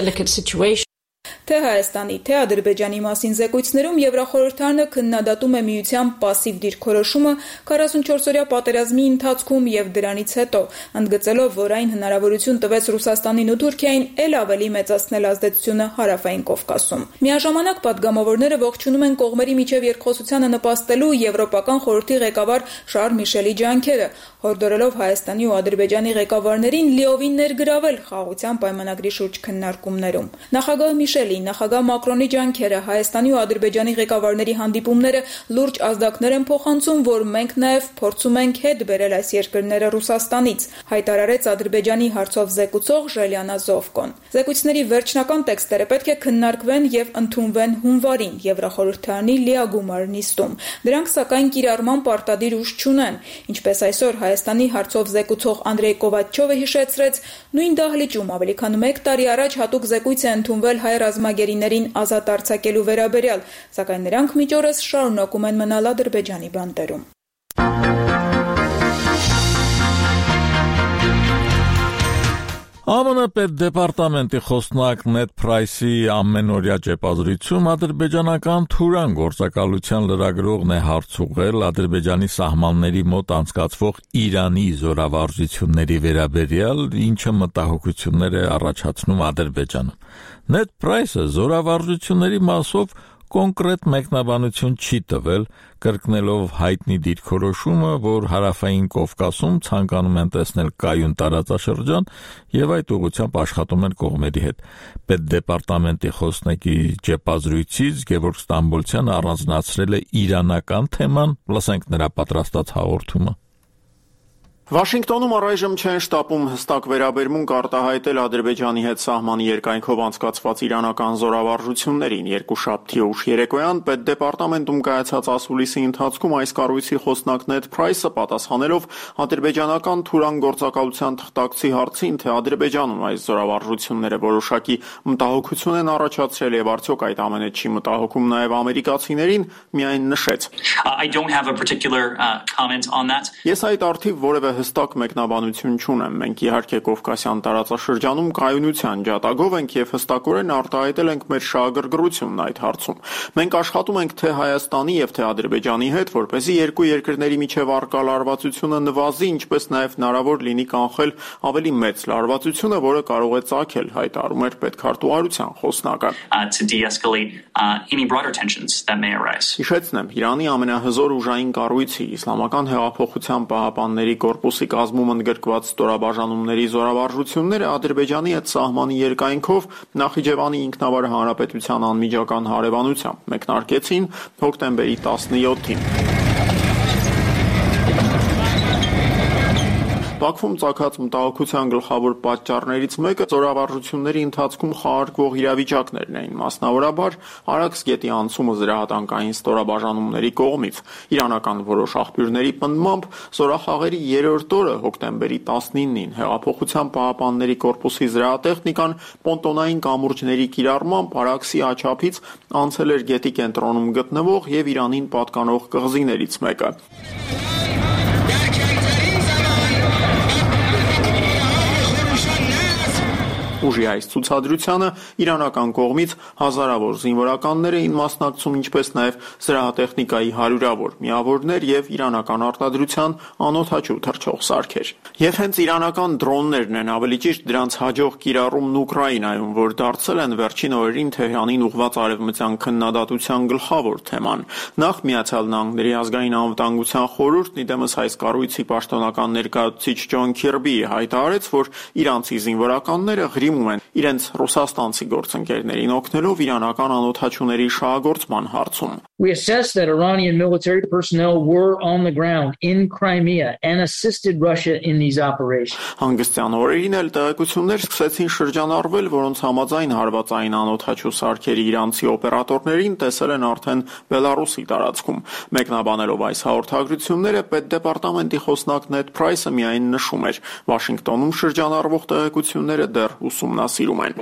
Թե Հայաստանի, թե Ադրբեջանի մասին զեկույցներում Եվրախորհրդարանը քննադատում է միության պասիվ դիրքորոշումը 44-օրյա պատերազմի ընթացքում եւ դրանից հետո, ընդգծելով, որ այն հնարավորություն տվեց Ռուսաստանին ու Թուրքիային ել ավելի մեծացնել ազդեցությունը Հարավային Կովկասում։ Միաժամանակ պատգամավորները ողջունում են կողմերի միջև երկխոսությանը նպաստելու Եվրոպական խորհրդի ղեկավար Շարլ Միշելի ջանքերը, հորդորելով Հայաստանի ու Ադրբեջանի ղեկավարներին լիովին ներգրավել խաղաղության պայմանագրի շուրջ քննարկումներում։ Նախագահ Միշելի, նախագահ Մակրոնի ջանքերը, Հայաստանի ու Ադրբեջանի ղեկավարների հանդիպումները լուրջ ազդակներ են փոխանցում, որ մենք նաև փորձում ենք հետ բերել այս երկրները Ռուսաստանից, հայտարարեց Ադրբեջանի հարցով զեկուցող Ժելիանա Զովկոն։ Զեկույցների վերջնական տեքստերը պետք է քննարկվեն եւ ընդունվեն հունվարին Եվրախորհրդարանի լիագումար նիստում։ Դրանք սակայն կիրառման պարտադիր ուժ չունեն, ինչպես այսօր Հայաստանի հարցով զեկուցող Անդրեյ Կովաչովը հիշեցրեց, նույն դահլիճում ավելի քան 1 տարի առաջ հատուկ զեկույց է ընդունվել հայ ռազմագերիներին ազատ արձակելու վերաբերյալ, սակայն նրանք մինչ օրս շարունակում են մնալ Ադրբեջանի բանտերում։ ԱՄՆ պետդեպարտամենտի խոսնակ Նեդ Փրայսի ամենօրյա ճեպազրույցում ադրբեջանական Թուրան գործակալության լրագրողն է հարց ուղղել Ադրբեջանի սահմանների մոտ անցկացվող Իրանի զորավարժությունների վերաբերյալ, ինչը մտահոգություններ է առաջացնում Ադրբեջանում։ Նեդ Փրայսը զորավարժությունների մասով կոնկրետ մեկնաբանություն չի տվել, կրկնելով հայտնի դիրքորոշումը, որ Հարավային Կովկասում ցանկանում են տեսնել կայուն տարածաշրջան եւ այդ ուղղությամբ աշխատում են կողմերի հետ։ Պետդեպարտամենտի խոսնակի ճեպազրույցից Գևորգ Ստամբոլցյանը առանձնացրել է իրանական թեման, լսենք նրա պատրաստած հաղորդումը։ Վաշինգտոնում առայժմ չեն շտապում հստակ վերաբերմունք արտահայտել Ադրբեջանի հետ սահմանի երկայնքով անցկացված իրանական զորավարժություններին։ Երկուշաբթի ուշ երեկոյան Պետդեպարտամենտում կայացած ասուլիսի ընթացքում այս կառույցի խոսնակ Նեդ Փրայսը պատասխանելով ադրբեջանական Թուրան գործակալության թղթակցի հարցին, թե Ադրբեջանում այս զորավարժությունները որոշակի մտահոգություն են առաջացրել եւ արդյոք այդ ամենը չի մտահոգում նաեւ ամերիկացիներին, միայն նշեց. I don't have a particular comment on that. Ես այդ արդիվ որևէ հստակ մեկնաբանություն չունեմ։ Մենք իհարկե Կովկասյան տարածաշրջանում կայունության ջատագով ենք եւ հստակորեն արտահայտել ենք մեր շահագրգռությունն այդ հարցում։ Մենք աշխատում ենք թե Հայաստանի եւ թե Ադրբեջանի հետ, որպեսզի երկու երկրների միջև առկա լարվածությունը նվազի, ինչպես նաեւ հնարավոր լինի կանխել ավելի մեծ լարվածությունը, որը կարող է ծագել, հայտարարում էր պետքարտուղարության խոսնակը։ To de-escalate any broader tensions that may arise. Հիշեցնեմ, Իրանի ամենահզոր ուժային կառույցի Իսլամական հեղափոխության պահապանների կորպուսի կազմում ընդգրկված ստորաբաժանումների զորավարժությունները Ադրբեջանի հետ սահմանի երկայնքով Նախիջևանի ինքնավար հանրապետության անմիջական հարևանությամբ մեկնարկեցին հոկտեմբերի 17-ին։ Բաքվում ծագած մտահոգության գլխավոր պատճառներից մեկը զորավարժությունների ընթացքում խաղարկվող իրավիճակներն էին, մասնավորաբար Արաքս գետի անցումը զրահատանկային ստորաբաժանումների կողմից։ Իրանական որոշ աղբյուրների պնդմամբ զորախաղերի 3-րդ օրը հոկտեմբերի 19-ին Հեղափոխության պահապանների կորպուսի զրահատեխնիկան պոնտոնային կամուրջների կիրառմամբ Արաքսի աչափից անցել էր գետի կենտրոնում գտնվող եւ Իրանին պատկանող կղզիներից մեկը։ Ուժի այս ցուցադրությանը իրանական կողմից հազարավոր զինվորականներ էին մասնակցում, ինչպես նաև զրահատեխնիկայի հարյուրավոր միավորներ եւ իրանական արտադրության անօդաչու թռչող սարքեր։ Եվ հենց իրանական դրոններն են, ավելի ճիշտ դրանց հաջող կիրառումն Ուկրաինայում, որ դարձել են վերջին օրերին Թեհրանին ուղղված արևմտյան քննադատության գլխավոր թեման։ Նախ Միացյալ Նահանգների ազգային անվտանգության խորհուրդն իդեմս այս կառույցի պաշտոնական ներկայացուցիչ Ջոն Քիրբիի հայտարարեց, որ իրանցի զինվորականները են իրենց ռուսաստանցի գործընկերներին օգնելով իրանական անօդաչուների շահագործման հարցում։ We assessed that Iranian military personnel were on the ground in Crimea and assisted Russia in these operations. Հանգստյան օրերին էլ տեղեկություններ սկսեցին շրջանառվել, որոնց համաձայն հարվածային անօդաչու սարքերի իրանցի օպերատորներին տեսել են արդեն Բելարուսի տարածքում։ Մեկնաբանելով այս հաղորդագրությունները, պետդեպարտամենտի խոսնակ Նեդ Փրայսը միայն նշում էր. Վաշինգտոնում շրջանառվող տեղեկությունները դեռ ուսումնասիրում են։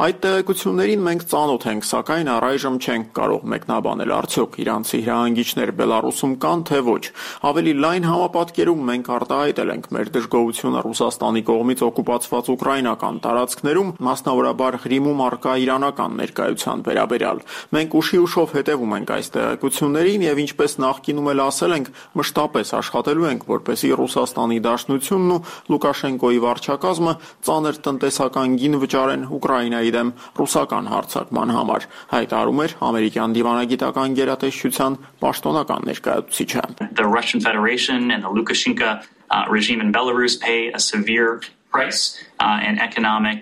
Այդ տեղեկություններին մենք ծանոթ ենք, սակայն առայժմ չենք կարող մեկնաբանել արդյոք իրանցի հրահանգիչներ Բելարուսում կան թե ոչ։ Ավելի լայն համապատկերում մենք արտահայտել ենք մեր դժգոհությունը Ռուսաստանի կողմից օկուպացված ուկրաինական տարածքներում, մասնավորաբար Ղրիմում առկա իրանական ներկայության վերաբերյալ։ Մենք ուշի ուշով հետևում ենք այս տեղեկություններին եւ ինչպես նախկինում էլ ասել ենք, մշտապես աշխատելու ենք, որպեսզի Ռուսաստանի Դաշնությունն ու Լուկաշենկոյի վարչակազմը ծանր տնտեսական գին վճարեն Ուկրաինայի դեմ ռուսական հարձակման համար, հայտարարում էր ամերիկյան դիվանագիտական գերատեսչության պաշտոնական ներկայացուցիչը։ The Russian Federation and the Lukashenko regime in Belarus pay a severe price and economic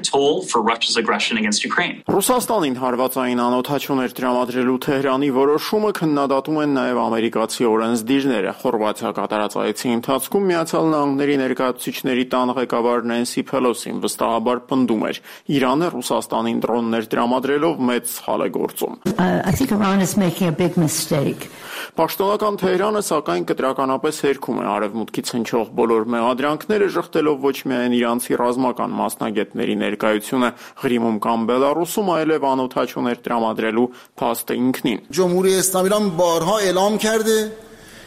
toll for Russia's aggression against Ukraine. Ռուսաստանին հարվածային անօդաչուներ տրամադրելու Թեհրանի որոշումը քննադատում են նաև ամերիկացի օրենսդիրները։ Խորվաթիա կատարած այցի ընթացքում Միացյալ Նահանգների ներկայացուցիչների տան ղեկավար Նենսի Փելոսին վստահաբար պնդում էր. Իրանը Ռուսաստանին դրոններ տրամադրելով մեծ սխալ է գործում։ I think Iran is making a big mistake. Պաշտոնական Թեհրանը սակայն կտրականապես հերքում է արևմուտքից հնչող բոլոր մեղադրանքները, ժխտելով ոչ միայն իրանցի ռազմական մասնագետների ներկայությունը Ղրիմում կամ Բելարուսում, այլև անօդաչուներ տրամադրելու փաստը ինքնին։ جمهوری اسلامی ایران بارها اعلام کرده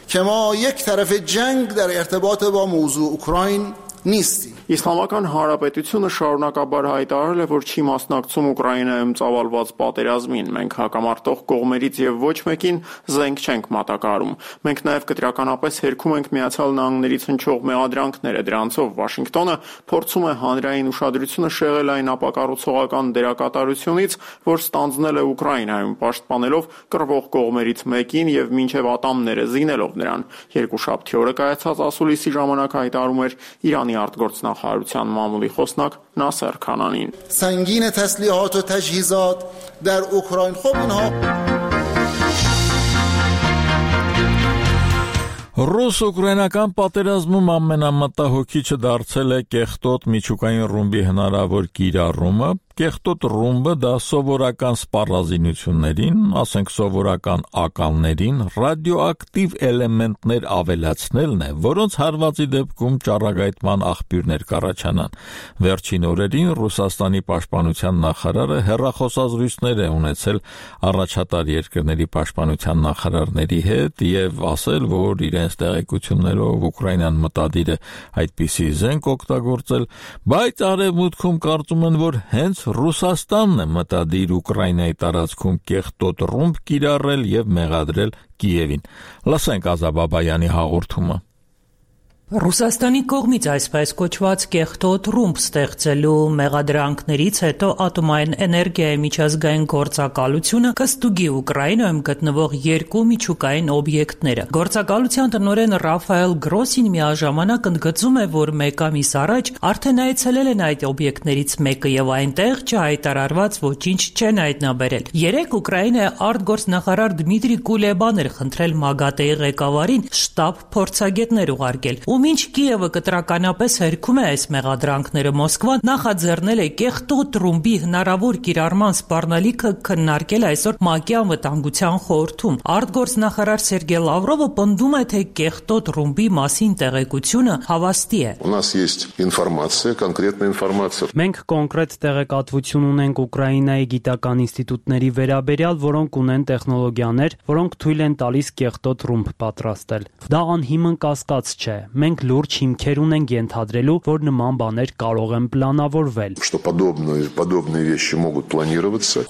که ما یک طرف جنگ در ارتباط با موضوع اوکراین نیستیم. Իսլամական Հանրապետությունը շարունակաբար հայտարարել է, որ չի մասնակցում Ուկրաինայում ծավալված պատերազմին։ Մենք հակամարտող կողմերից եւ ոչ մեկին զենք չենք մատակարարում։ Մենք նաեւ կտրականապես հերքում ենք Միացյալ Նահանգներից հնչող մեղադրանքները։ Դրանցով Վաշինգտոնը փորձում է հանրային ուշադրությունը շեղել այն ապակառուցողական դերակատարությունից, որ ստանձնել է Ուկրաինայում, պաշտպանելով կռվող կողմերից մեկին եւ մինչեւ ատամները զինելով նրան։ Երկուշաբթի օրը կայացած ասուլիսի ժամանակ հայտարարում էր Իրանի արտգործնախարարության մամուլի խոսնակ Նասեր Քանանին. سنگین تسلیحات و تجهیزات در اوکراین خب اینها Ռուս-ուկրաինական պատերազմում ամենամտահոգիչը դարձել է կեղտոտ միջուկային ռումբի հնարավոր կիրառումը։ Կեղտոտ ռումբը դա սովորական սպառազինություններին, ասենք սովորական ականներին, ռադիոակտիվ էլեմենտներ ավելացնելն է, որոնց հարվածի դեպքում ճառագայթման աղբյուրներ կառաջանան։ Վերջին օրերին Ռուսաստանի պաշտպանության նախարարը հեռախոսազրույցներ է ունեցել առաջատար երկրների պաշտպանության նախարարների հետ եւ ասել, որ իրենց տեղեկություններով Ուկրաինան մտադիր է այդպիսի զենք օգտագործել, բայց արևմուտքում կարծում են, որ հենց Ռուսաստանն է մտադիր Ուկրաինայի տարածքում կեղտոտ ռումբ կիրառել եւ մեղադրել Կիևին։ Լսենք Ազաբաբայանի հաղորդումը։ Ռուսաստանի կողմից այսպես կոչված կեղտոտ ռումբ ստեղծելու մեղադրանքներից հետո ատոմային էներգիայի միջազգային գործակալությունը կստուգի Ուկրաինայում գտնվող երկու միջուկային օբյեկտները։ Գործակալության տնօրեն Ռաֆայել Գրոսին միաժամանակ ընդգծում է, որ մեկ ամիս առաջ արդեն այցելել են այդ օբյեկտներից մեկը եւ այնտեղ չհայտարարված ոչինչ չեն հայտնաբերել։ Երեկ Ուկրաինայի արտգործնախարար Դմիտրի Կուլեբան էր խնդրել ՄԱԳԱՏԷ-ի ղեկավարին շտաբ փորձագետներ ուղարկել։ Մինչ Կիևը կտրականապես հերքում է այս մեղադրանքները, Մոսկվան նախաձեռնել է կեղտոտ ռումբի հնարավոր կիրառման սպառնալիքը քննարկել այսօր ՄԱԿ-ի անվտանգության խորհրդում։ Արտգործնախարար Սերգեյ Լավրովը պնդում է, թե կեղտոտ ռումբի մասին տեղեկությունը հավաստի է։ Մենք կոնկրետ տեղեկատվություն ունենք Ուկրաինայի գիտական ինստիտուտների վերաբերյալ, որոնք ունեն տեխնոլոգիաներ, որոնք թույլ են տալիս կեղտոտ ռումբ պատրաստել։ Դա անհիմն կասկած չէ։ Մենք լուրջ հիմքեր ունենք ենթադրելու, որ նման բաներ կարող են պլանավորվել։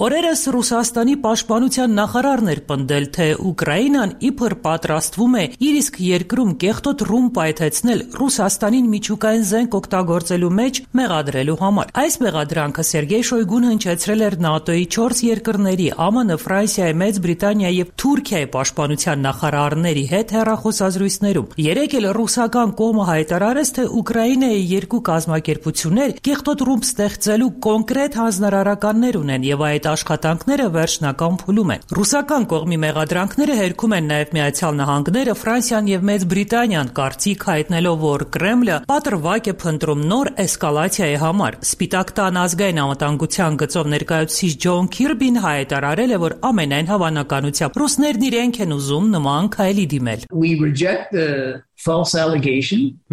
Օրերս Ռուսաստանի պաշտպանության նախարարն էր պնդել, թե Ուկրաինան իբր պատրաստվում է իր իսկ երկրում կեղտոտ ռումբ պայթեցնել Ռուսաստանին միջուկային զենք օգտագործելու մեջ մեղադրելու համար։ Այս մեղադրանքը Սերգեյ Շոյգուն հնչեցրել էր ՆԱՏՕ-ի 4 երկրների՝ ԱՄՆ, Ֆրանսիայի, Մեծ Բրիտանիայի եւ Թուրքիայի պաշտպանության նախարարների հետ հեռախոսազրույցներում։ Երեկ էլ ռուսական կողմը հայտարարեց, թե Ուկրաինայի երկու կազմակերպություններ կեղտոտ ռումբ ստեղծելու կոնկրետ հանձնարարականներ ունեն եւ այդ աշխատանքները վերջնական փուլում են։ Ռուսական կողմի մեղադրանքները հերքում են նաեւ Միացյալ Նահանգները, Ֆրանսիան եւ Մեծ Բրիտանիան, կարծիք հայտնելով, որ Կրեմլը պատրվակ է փնտրում նոր էսկալացիայի համար։ Սպիտակ տան ազգային անվտանգության գծով ներկայացուցիչ Ջոն Քիրբին հայտարարել է, որ ամենայն հավանականությամբ ռուսներն իրենք են ուզում նման քայլի դիմել։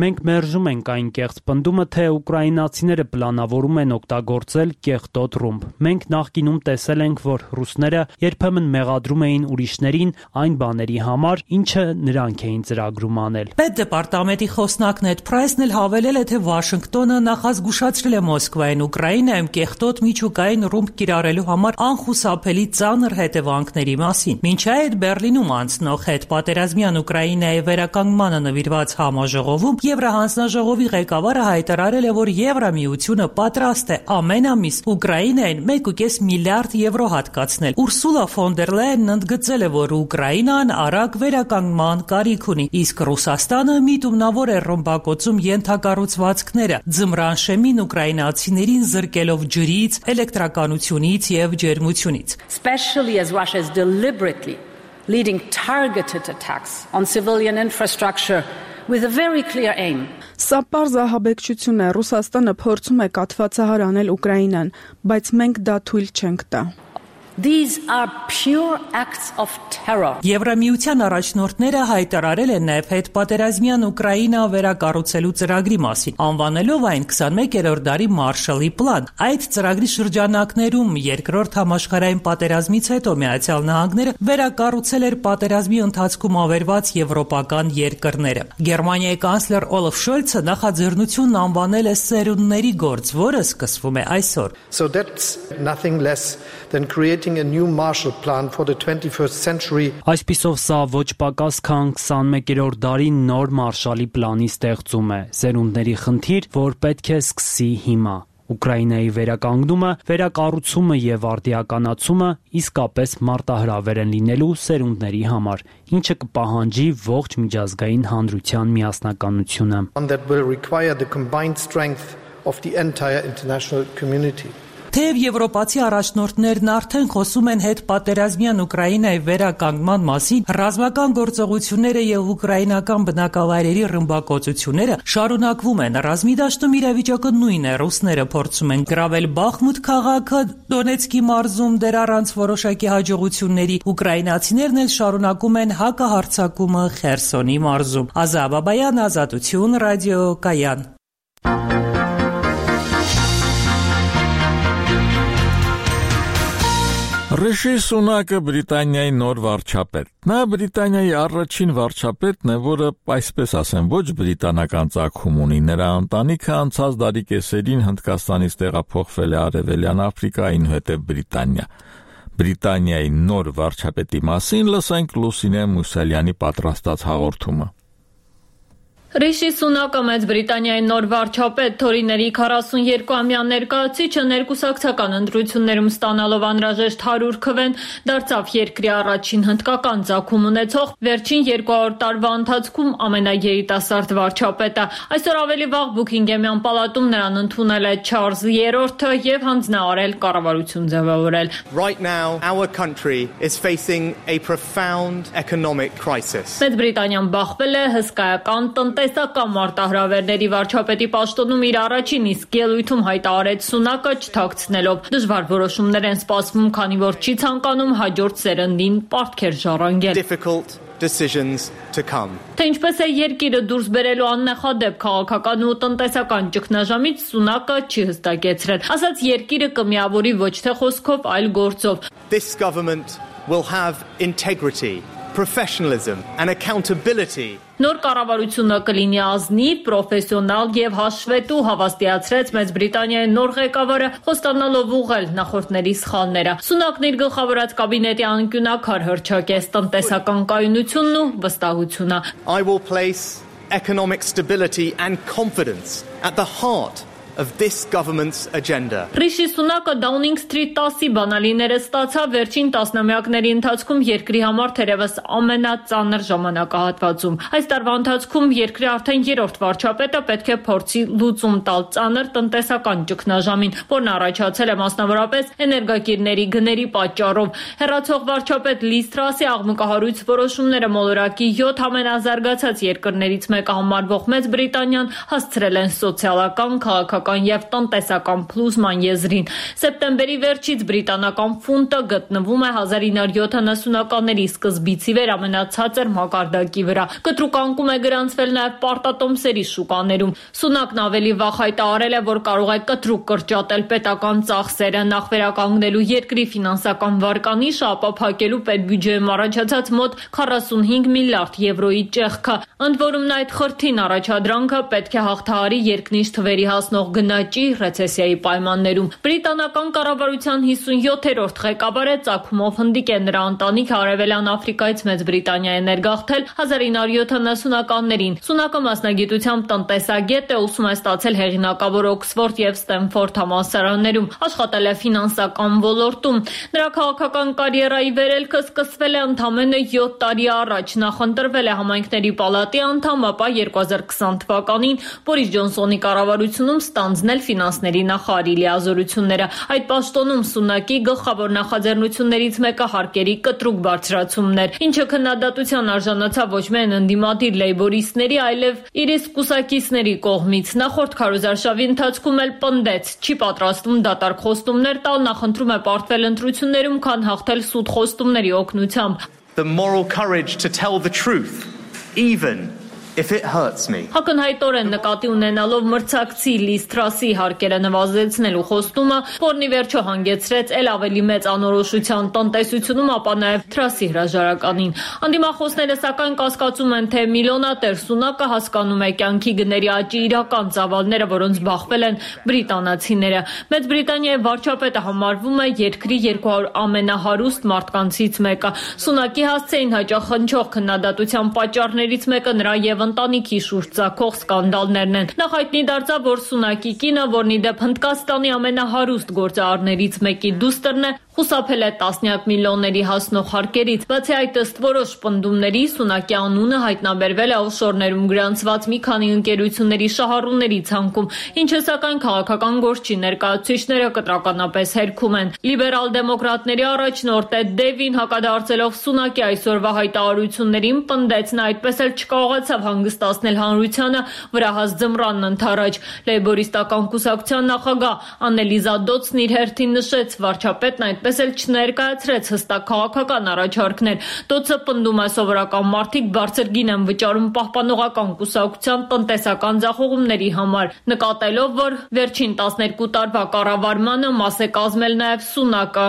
Մենք մերժում ենք այն կեղծ պնդումը, թե ուկրաինացիները պլանավորում են օգտագործել կեղտոտ ռումբ։ Մենք նախկինում տեսել ենք, որ ռուսները երբեմն մեղադրում էին ուրիշներին այն բաների համար, ինչը նրանք էին ծրագրում անել։ Պետդեպարտամենտի խոսնակ Նեդ Պրայսն էլ հավելել է, թե Վաշինգտոնը նախազգուշացրել է Մոսկվային Ուկրաինայում կեղտոտ միջուկային ռումբ կիրառելու համար անխուսափելի ծանր հետևանքների մասին։ Մինչ այդ Բերլինում անցնող հետպատերազմյան Ուկրաինայի վերականգնմանը նվիրված համաժողովում Եվրահանձնաժողովի ղեկավարը հայտարարել է, որ Եվրամիությունը պատրաստ է ամեն ամիս Ուկրաինային 1.5 միլիարդ եվրո հատկացնել։ Ուրսուլա ֆոն դեր Լայենն ընդգծել է, որ Ուկրաինան արագ վերականգնման կարիք ունի, իսկ Ռուսաստանը միտումնավոր է ռմբակոծում ենթակառուցվածքները, ձմռան շեմին ուկրաինացիներին զրկելով ջրից, էլեկտրականությունից եւ ջերմությունից։ Especially as Russia is deliberately leading targeted attacks on civilian infrastructure with a very clear aim. Սա պարզ ահաբեկչություն է, Ռուսաստանը փորձում է կաթվածահար անել Ուկրաինան, բայց մենք դա թույլ չենք տա։ These are pure acts of terror. Եվրամիության առաջնորդները հայտարարել են նաև հետպատերազմյան Ուկրաինա վերակառուցելու ծրագրի մասին, անվանելով այն 21-րդ դարի Մարշալի պլան։ Այդ ծրագրի շրջանակներում երկրորդ համաշխարհային պատերազմից հետո Միացյալ Նահանգները վերակառուցել էր պատերազմի ընթացքում ավերված եվրոպական երկրները։ Գերմանիայի կանցլեր Օլաֆ Շոլցը նախաձեռնությունն անվանել է սերունդների գործ, որը սկսվում է այսօր։ So that's nothing less than creating a new Marshall Plan for the 21st century. Այսպիսով սա ոչ պակաս քան 21-րդ դարի նոր Մարշալի պլանի ստեղծում է, սերունդների խնդիր, որ պետք է սկսի հիմա։ Ուկրաինայի վերականգնումը, վերակառուցումը եւ արդիականացումը իսկապես մարտահրավեր են լինելու սերունդների համար, ինչը կպահանջի ողջ միջազգային հանրության միասնականությունը։ One that will require the combined strength of the entire international community. Թեև եվրոպացի առաջնորդներն արդեն խոսում են հետպատերազմյան Ուկրաինայի վերականգնման մասին, ռազմական գործողությունները եւ ուկրաինական բնակավայրերի ռմբակոծությունները շարունակվում են։ Ռազմի դաշտում իրավիճակը նույնն է, ռուսները փորձում են գրավել Բախմուտ քաղաքը Դոնեցկի մարզում դեռ առանց որոշակի հաջողությունների, ուկրաինացիներն էլ շարունակում են հակահարձակումը Խերսոնի մարզում։ Ազա Բաբայան, Ազատություն, Ռադիո Կայան։ Ռիշի Սունակը Բրիտանիայի նոր վարչապետ։ Նա Բրիտանիայի առաջին վարչապետն է, որը, այսպես ասեմ, ոչ բրիտանական ծագում ունի։ Նրա ընտանիքը անցած դարի կեսերին Հնդկաստանից տեղափոխվել է Արևելյան Աֆրիկային, հետև Բրիտանիա։ Բրիտանիայի նոր վարչապետի մասին լսենք Լուսինե Մուսալյանի պատրաստած հաղորդումը։ Ռիշի Սունակը Մեծ Բրիտանիայի նոր վարչապետ Թորիների 42-ամյա ներկայացուցիչը ներկուսակցական ընտրություններում ստանալով անհրաժեշտ 100 քվեն դարձավ երկրի առաջին հնդկական ծագում ունեցող վերջին 200 տարվա ընթացքում ամենաերիտասարդ վարչապետը։ Այսօր ավելի վաղ Բուքինգեմյան պալատում նրան ընդունել է Չարլզ III-ը եւ հանձնարարել կառավարություն ձևավորել։ Right now our country is facing a profound economic crisis. Մեծ Բրիտանիան բախվել է հսկայական տնտեսական մարտահրավերների վարչապետի պաշտոնում իր առաջին իսկ ելույթում հայտարարեց Սունակը չթաքցնելով։ Դժվար որոշումներ են սպասվում, քանի որ չի ցանկանում հաջորդ սերնդին պարտքեր ժառանգել։ Difficult decisions to come. Թե ինչպես է երկիրը դուրս բերելու աննախադեպ քաղաքական ու տնտեսական ճգնաժամից Սունակը չի հստակեցրել։ Ասաց երկիրը կմիավորի ոչ թե խոսքով, այլ գործով։ This government will have integrity, professionalism and accountability. Նոր կառավարությունը կլինի ազնիվ, պրոֆեսիոնալ եւ հաշվետու, հավաստիացրեց Մեծ Բրիտանիայի նոր ղեկավարը, խոստանալով ուղղել նախորդների սխալները։ Սունակն իր գլխավորած կաբինետի անկյունակար հռչակեց տնտեսական կայունությունն ու վստահությունը։ I will place economic stability and confidence at the heart of this government's agenda. Ռիշի Սունակը Downing Street 10-ի բանալիները ստացավ վերջին տասնամյակների ընթացքում երկրի համար թերևս ամենածանր ժամանակահատվածում։ Այս տարվա ընթացքում երկրի արդեն երրորդ վարչապետը պետք է փորձի լուծում տալ ծանր տնտեսական ճգնաժամին, որն առաջացել է մասնավորապես էներգակիրների գների պատճառով։ Հեռացող վարչապետ Լիզ Թրասի աղմկահարույց որոշումները մոլորակի 7 ամենազարգացած երկրներից մեկը համարվող Մեծ Բրիտանիան հասցրել են սոցիալական, քաղաքական եւ տնտեսական փլուզման եզրին։ Սեպտեմբերի վերջից բրիտանական ֆունտը գտնվում է 1970-ականների սկզբից ի վեր ամենացածր մակարդակի վրա։ Կտրուկ անկում է գրանցվել նաեւ պարտատոմսերի շուկաներում։ Սունակն ավելի վաղ հայտարարել է, որ կարող է կտրուկ կրճատել պետական ծախսերը, նախ վերականգնելու երկրի ֆինանսական վարկանիշը, ապա փակելու պետբյուջեում առաջացած մոտ 45 միլիարդ եվրոյի ճեղքը։ Ընդ որում նա այդ խրթին առաջադրանքը պետք է հաղթահարի երկնիշ թվերի հասնող գնաճի ռեցեսիայի պայմաններում։ Բրիտանական կառավարության 57-րդ ղեկավարը ծագումով հնդիկ է, նրա ընտանիքը Արևելյան Աֆրիկայից Մեծ Բրիտանիա է ներգաղթել 1970-ականներին։ Սունակը մասնագիտությամբ տնտեսագետ է, ուսում է ստացել հեղինակավոր Օքսֆորդ եւ Ստենֆորդ համալսարաններում, աշխատել է ֆինանսական ոլորտում։ Նրա քաղաքական կարիերայի վերելքը սկսվել է ընդամենը 7 տարի առաջ։ Նախ ընտրվել է համայնքների պալատի անդամ, ապա 2020 թվականին Բորիս Ջոնսոնի կառավարությունում ստանձնել ֆինանսների նախարարի լիազորությունները։ Այդ պաշտոնում Սունակի գլխավոր նախաձեռնություններից մեկը հարկերի կտրուկ բարձրացումն էր, ինչը քննադատության արժանացավ ոչ միայն ընդդիմադիր լեյբորիստների, այլև իր իսկ կուսակիցների կողմից։ Նախորդ քարոզարշավի ընթացքում էլ պնդեց, չի պատրաստվում դատարկ խոստումներ տալ, նախընտրում է պարտվել ընտրություններում, քան հաղթել սուտ խոստումների օգնությամբ։ The moral courage to tell the truth, even if it hurts me. Հակնհայտորեն նկատի ունենալով մրցակցի Լիզ Թրասի հարկերը նվազեցնելու խոստումը, որն ի վերջո հանգեցրեց ել ավելի մեծ անորոշության տնտեսությունում, ապա նաև Թրասի հրաժարականին։ Անդիմախոսները սակայն կասկածում են, թե միլիոնատեր Սունակը հասկանում է կյանքի գների աճի իրական ծավալները, որոնց բախվել են բրիտանացիները։ Մեծ Բրիտանիայի վարչապետը համարվում է երկրի 200 ամենահարուստ մարդկանցից մեկը։ Սունակի հասցեին հաճախ հնչող քննադատության պատճառներից մեկը նրա եւ ընտանիքի շուրջ ցակող սկանդալներն են։ Նախ հայտնի դարձավ, որ Սունակի կինը, որն ի դեպ Հնդկաստանի ամենահարուստ գործարարներից մեկի դուստրն է, խուսափել է տասնյակ միլիոնների հասնող հարկերից։ Բացի այդ, ըստ որոշ պնդումների, Սունակի անունը հայտնաբերվել է օֆշորներում գրանցված մի քանի ընկերությունների շահառուների ցանկում, ինչը սակայն քաղաքական գործի ներկայացուցիչները կտրականապես հերքում են։ Լիբերալ դեմոկրատների առաջնորդ Տեդ Դևին հակադարձելով Սունակի այսօրվա հայտարարություններին պնդեց, նա այդպես էլ չկարողացավ հանգստացնել հանրությանը վրահած ձմռանն ընդառաջ։ Լեյբորիստական կուսակցության նախագահ Անելիզա Դոթսն իր հերթին նշեց, վարչապետն այդպես էլ չներկայացրեց հստակ քաղաքական առաջարկներ։ Դոթսը պնդում է, սովորական մարդիկ բարձր գին են վճարում պահպանողական կուսակցության տնտեսական ձախողումների համար, նկատելով, որ վերջին 12 տարվա կառավարմանը մաս է կազմել նաև Սունակը։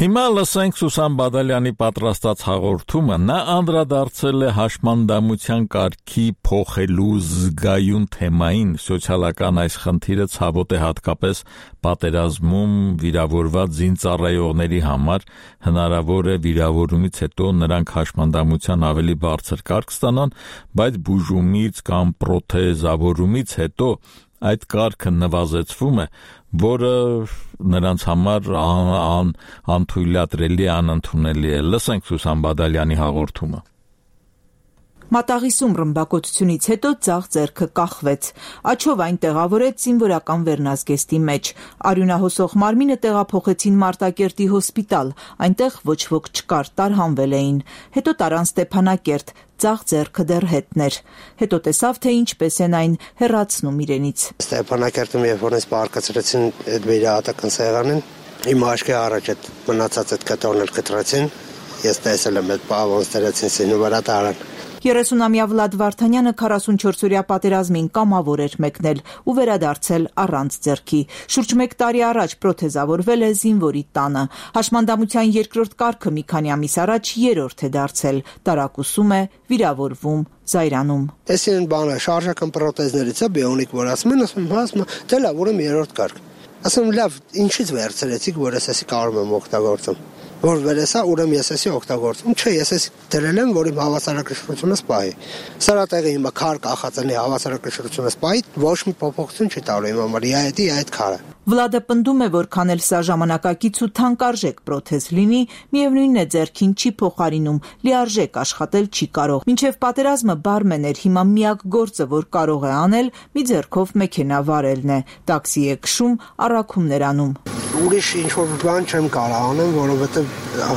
Հիմա լսենք Սուսան Բադալյանի պատրաստած հաղորդումը։ Նա անդրադարձել է հաշմանդամության կարգի փոխելու զգայուն թեմային։ Սոցիալական այս խնդիրը ցավոտ է հատկապես պատերազմում վիրավորված զինծառայողների համար։ Հնարավոր է վիրավորումից հետո նրանք հաշմանդամության ավելի բարձր կարգ ստանան, բայց բուժումից կամ պրոթեզավորումից հետո այդ կարգը նվազեցվում է, որը նրանց համար անթույլատրելի է, անընդունելի է։ Լսենք Սուսան Բադալյանի հաղորդումը։ Մատաղիսում ռմբակոծությունից հետո ձախ ձեռքը կախվեց։ Աչով այն տեղավորեց զինվորական վերնազգեստի մեջ։ Արյունահոսող մարմինը տեղափոխեցին Մարտակերտի հոսպիտալ, այնտեղ ոչ ոք չկար, տարհանվել էին։ Հետո տարան Ստեփանակերտ, ձախ ձեռքը դեռ հետներ։ Հետո տեսավ, թե ինչպես են այն հեռացնում իրենից։ Ստեփանակերտում երբ որ ինձ բարկացրեցին այդ վիրահատական սեղանին, իմ աչքի առաջ այդ մնացած այդ կտորներ կտրեցին, ես տեսել եմ այդ պահ դրեցին սինու վրա տարան։ 30-ամյա Վլադ Վարդանյանը 44-օրյա պատերազմին կամավոր էր մեկնել ու վերադարձել առանց ձեռքի։ Շուրջ 1 տարի առաջ պրոթեզավորվել է զինվորի տանը։ Հաշմանդամության երկրորդ կարգը մի քանի ամիս առաջ երրորդ է դարձել։ Տարակուսում է, վիրավորվում, զայրանում։ Այսին բանը շարժական պրոթեզներից է բիոնիկ, որ ասում են, դե լավ, ուրեմն երրորդ կարգ։ Ասում լավ, ինչից վերցրեցիք, որ ես կարող եմ օգտագործում։ Որ վերեսա, ուրեմն ես էսի օգտագործում, չէ, ես էս դրել եմ, որ իմ հավասարակշռությունը սպայի։ Սրա տեղը հիմա քար կախածանի հավասարակշռությունը սպայի, ոչ մի փոփոխություն չի տալու իմ համար, այդ քարը։ Վլադը պնդում է, որքան էլ սա ժամանակակից ու թանկարժեք պրոթեզ լինի, միևնույնն է ձեռքին չի փոխարինում, լիարժեք աշխատել չի կարող։ Մինչև պատերազմը բարմեն էր, հիմա միակ գործը, որ կարող է անել, մի ձեռքով մեքենա վարելն է, տաքսի է քշում, առաքումներ անում։ Ուրիշ ինչ-որ բան չեմ կարող անել, որովհետև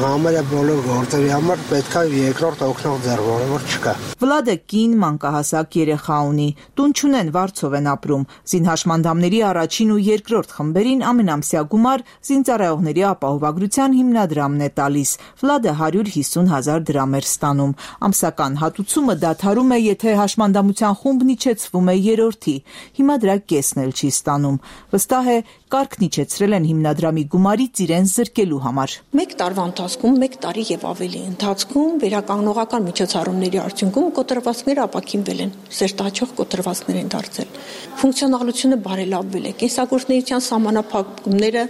համարյա բոլոր գործերի համար պետք է երկրորդ օգնող ձեռք, որը չկա։ Վլադը կին, մանկահասակ երեխա ունի, տուն չունեն, Վարձով են ապրում։ Զինհաշմանդամների առաջին ու երկրորդ խմբերին ամենամսյա գումար զինծառայողների ապահովագրության հիմնադրամն է տալիս։ Վլադը 150,000 դրամ էր ստանում։ Ամսական հատուցումը դադարում է, եթե հաշմանդամության խումբն իջեցվում է երրորդի։ Հիմա դրա կեսն էլ չի ստանում։ Վստահ է, կարգն իջեցրել են հիմնադրամի գումարից իրեն զրկելու համար։ Մեկ տարվա ընթացքում, մեկ տարի եւ ավելի ընթացքում վերականգնողական միջոցառումների արդյունքում կոտրվածքները ապակինվել են, սերտաճող կոտրվածքներ են դարձել։ Ֆունկցիոնալությունը բարելավվել է, կենսագործունեության սահմանափակումները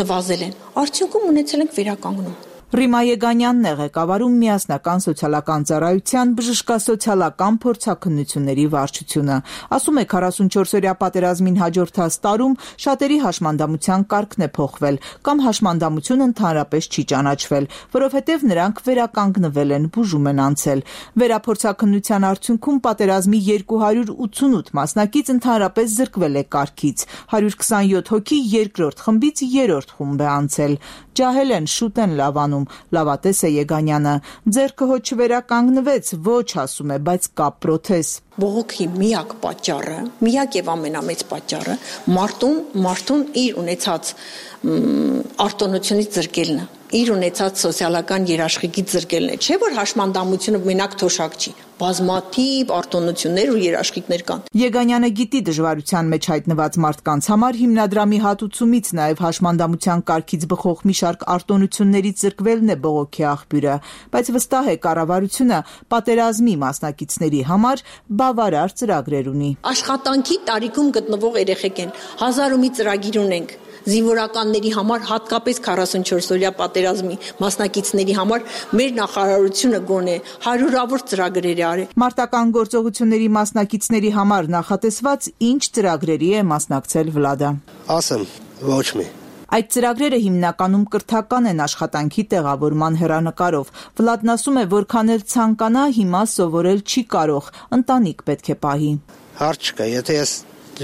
նվազել են։ Արդյունքում ունեցել ենք վերականգնում։ Ռիմա Եգանյանն է ղեկավարում Միասնական սոցիալական ծառայության բժշկասոցիալական փորձաքննությունների վարչությունը։ Ասում է 44-օրյա պատերազմին հաջորդած տարում շատերի հաշմանդամության կարգն է փոխվել կամ հաշմանդամությունը ընդհանրապես չի ճանաչվել, որովհետև նրանք վերականգնվել են, բուժում են անցել։ Վերափորձաքննության արդյունքում պատերազմի 288 մասնակից ընդհանրապես զրկվել է կարգից, 127 հոգի երկրորդ խմբից երրորդ խումբ է անցել։ Ջահել են, շուտ են լավանում, լավատես է Եգանյանը։ Ձեռքը հո չվերականգնվեց, ոչ ասում է, բայց կա պրոթեզ։ Բողոքի միակ պատճառը, միակ եւ ամենամեծ պատճառը մարդուն իր ունեցած արտոնությունից զրկելն է, իր ունեցած սոցիալական երաշխիքից զրկելն է, չէ՞ որ հաշմանդամությունը մենակ թոշակ չի, բազմաթիվ արտոնություններ ու երաշխիքներ կան։ Եգանյանը գիտի դժվարության մեջ հայտնված մարդկանց համար հիմնադրամի հատուցումից նաև հաշմանդամության կարգից բխող մի շարք արտոնություններից զրկվելն է բողոքի աղբյուրը, բայց վստահ է կառավարությունը պատերազմի մասնակիցների համար բավարար ծրագրեր ունի։ Աշխատանքի տարիքում գտնվող երեխեք են, 1000 մի ծրագիր ունենք։ Զինվորականների համար, հատկապես 44-օրյա պատերազմի մասնակիցների համար մեր նախարարությունը գոնե հարյուրավոր ծրագրեր է արել։ Մարտական գործողությունների մասնակիցների համար նախատեսված ինչ ծրագրերի է մասնակցել Վլադը։ Ասեմ, ոչ մի։ Այդ ծրագրերը հիմնականում կրթական են աշխատանքի տեղավորման հեռանկարով։ Վլադն ասում է, որքան էլ ցանկանա, հիմա սովորել չի կարող, ընտանիք պետք է պահի։ Հարց չկա, եթե ես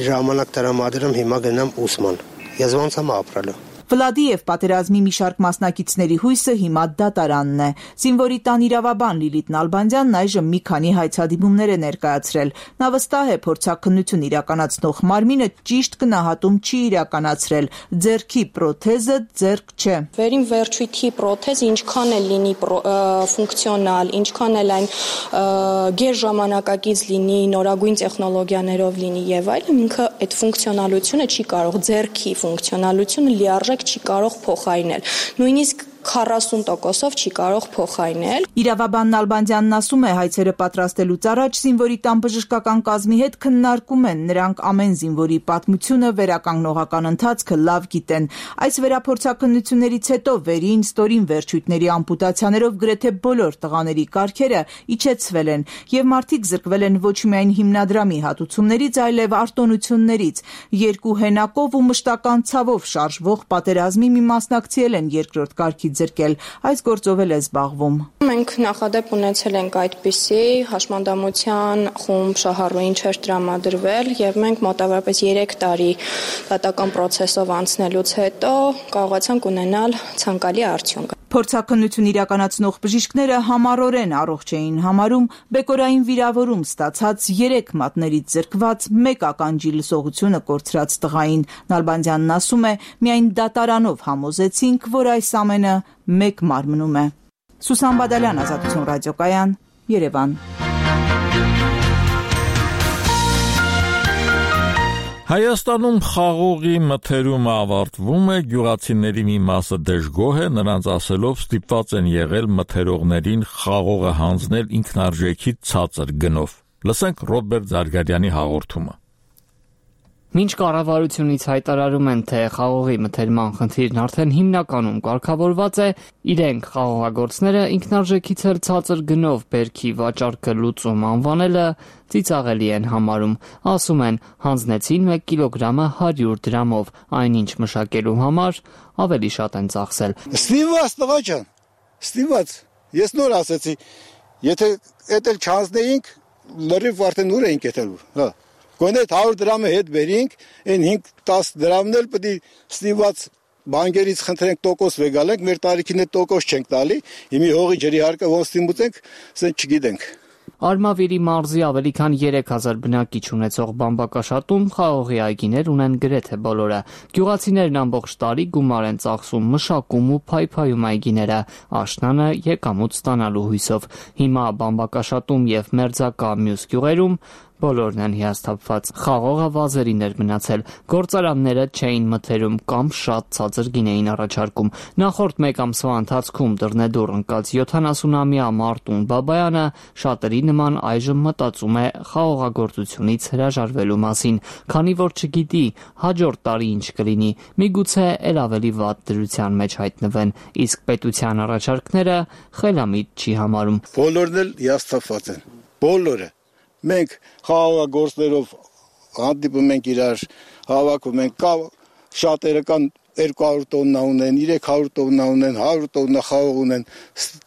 ժամանակ տրամադրեմ, հիմա գնամ ուսման։ Ես ոնց եմ ապրելու։ Վլադի եւ պատերազմի մի շարք մասնակիցների հույսը հիմա դատարանն է։ Զինվորի տան իրավաբան Լիլիթ Նալբանդյանն այժմ մի քանի հայցադիմումներ է ներկայացրել։ Նա վստահ է, փորձաքննություն իրականացնող մարմինը ճիշտ գնահատում չի իրականացրել։ Ձեռքի պրոթեզը ձեռք չէ։ Վերին վերջույթի պրոթեզ ինչքան էլ լինի ֆունկցիոնալ, ինչքան էլ այն գերժամանակակից լինի, նորագույն տեխնոլոգիաներով լինի եւ այլն, ինքը այդ ֆունկցիոնալությունը չի կարող, ձեռքի ֆունկցիոնալությունը լիարժեք չի կարող փոխարինել։ Նույնիսկ 40%-ով չի կարող փոխարինել։ Իրավաբան Նալբանդյանն ասում է, հայցերը պատրաստելուց առաջ զինվորի տան բժշկական կազմի հետ քննարկում են, նրանք ամեն զինվորի պատմությունը, վերականգնողական ընթացքը լավ գիտեն։ Այս վերափորձաքննություններից հետո վերին ստորին վերջույթների ամպուտացիաներով գրեթե բոլոր տղաների կարգերը իջեցվել են եւ մարդիկ զրկվել են ոչ միայն հիմնադրամի հատուցումներից, այլև արտոնություններից։ Երկու հենակով ու մշտական ցավով շարժվող պատերազմի մի մասնակցել են երկրորդ կարգի ձրկել, այս գործով էլ է զբաղվում։ Մենք նախադեպ ունեցել ենք այդպիսի հաշմանդամության խումբ շահառուին չէր տրամադրվել եւ մենք մոտավորապես 3 տարի դատական process-ով անցնելուց հետո կարողացանք ունենալ ցանկալի արդյունք։ Փորձաքննություն իրականացնող բժիշկները համառորեն առողջ էին համարում բեկորային վիրավորում ստացած 3 մատներից զրկված 1 ականջի լսողությունը կորցրած տղային։ Նալբանդյանն ասում է, միայն դատարանով համոզեցինք, որ այս ամենը մեկ մարմնում է։ Սուսան Բադալյան, Ազատություն ռադիոկայան, Երևան։ Հայաստանում խաղողի մթերումը ավարտվում է, գյուղացիների մի մասը դժգոհ է, նրանց ասելով ստիպված են եղել մթերողներին խաղողը հանձնել ինքնարժեքի ցածր գնով։ Լսենք Ռոբերտ Զարգարյանի հաղորդումը։ Մինչ կառավարությունից հայտարարում են, թե խաղողի մթերման խնդիրն արդեն հիմնականում կարգավորված է, իրենք խաղողագործները ինքնարժեքից էլ ցածր գնով բերքի վաճառքը լուծում անվանելը ծիծաղելի են համարում։ Ասում են, հանձնեցին 1 կիլոգրամը 100 դրամով, այնինչ մշակելու համար ավելի շատ են ծախսել։ Ստիված տղա ջան, ստիված։ Ես նոր ասացի, եթե էտել չանձնեինք, լրիվ արդեն ուր էինք էտելու, հա։ Գոնե 100 դրամը հետ բերինք, այն 5-10 դրամն էլ պետք է ստիված բանկերից խնդրենք տոկոս վեգալենք, մեր տարիքին է տոկոս չենք տալի, հիմի հողի ջրի հարկը ոնց ստիմուցենք, ասեն չգիտենք։ Արմավիրի մարզի ավելի քան 3000 բնակիչ ունեցող բամբակաշատում խաղողի այգիներ ունեն գրեթե բոլորը։ Գյուղացիներն ամբողջ տարի գումար են ծախսում մշակում ու փայփայում այգիները, աշնանը եկամուտ ստանալու հույսով։ Հիմա բամբակաշատում եւ մերձակա մյուս գյուղերում Բոլորն են հիասթափված։ Խաղողը վազերին էր մնացել։ Գործարանները չէին մթերում կամ շատ ցածր գին էին առաջարկում։ Նախորդ մեկ ամսվա ընթացքում դռնեդուռ ընկած 70-ամյա Մարտուն Բաբայանը շատերի նման այժմ մտածում է խաղողագործությունից հրաժարվելու մասին, քանի որ չգիտի հաջորդ տարի ինչ կլինի, միգուցե էլ ավելի վատ դրության մեջ հայտնվեն, իսկ պետության առաջարկները խելամիտ չի համարում։ Բոլորն էլ հիասթափված են։ Բոլորը։ Մենք խաղողագործներով հանդիպում ենք իրար, հավաքում ենք, կա շատերը կան 200 տոննա ունեն, 300 տոննա ունեն, 100 տոննա խաղող ունեն,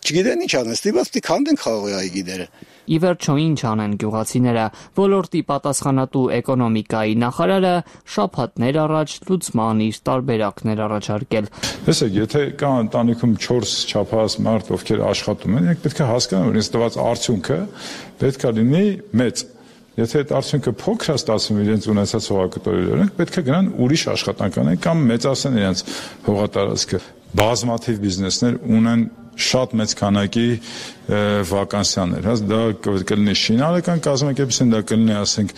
չգիտեն ինչ անեն, ստիպված պիտի քանդեն խաղողի այգիները։ Ի վերջո ինչ անեն գյուղացիները, ոլորտի պատասխանատու էկոնոմիկայի նախարարը շաբաթներ առաջ լուծման իր տարբերակներ առաջարկել։ Տեսեք, եթե կա ընտանիքում 4 չափահաս մարդ, ովքեր աշխատում են, պետք է հասկանան, որ ինձ տված արդյունքը պետք է լինի մեծ։ Եթե այդ արդյունքը փոքր է ստացվում իրենց ունեցած հողակտորիներով, պետք է գնան ուրիշ աշխատանք անեն կամ մեծացնեն իրենց հողատարածքը։ Բազմաթիվ բիզնեսներ ունեն շատ մեծ քանակի վականսիաներ, դա կլինի շինարարական կազմակերպություն, դա կլինի, ասենք,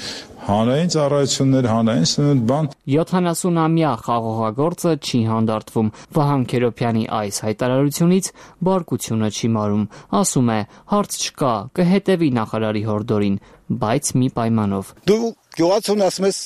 հանրային ծառայություններ, հանրային սնունդ բան։ 70-ամյա խաղողագործը չի հանդարտվում։ Վահան Քերոբյանի այս հայտարարությունից բարկությունը չի մարում։ Ասում է, հարց չկա, կհետևի նախարարի հորդորին, բայց մի պայմանով։ Դու գյուղացուն ասում ես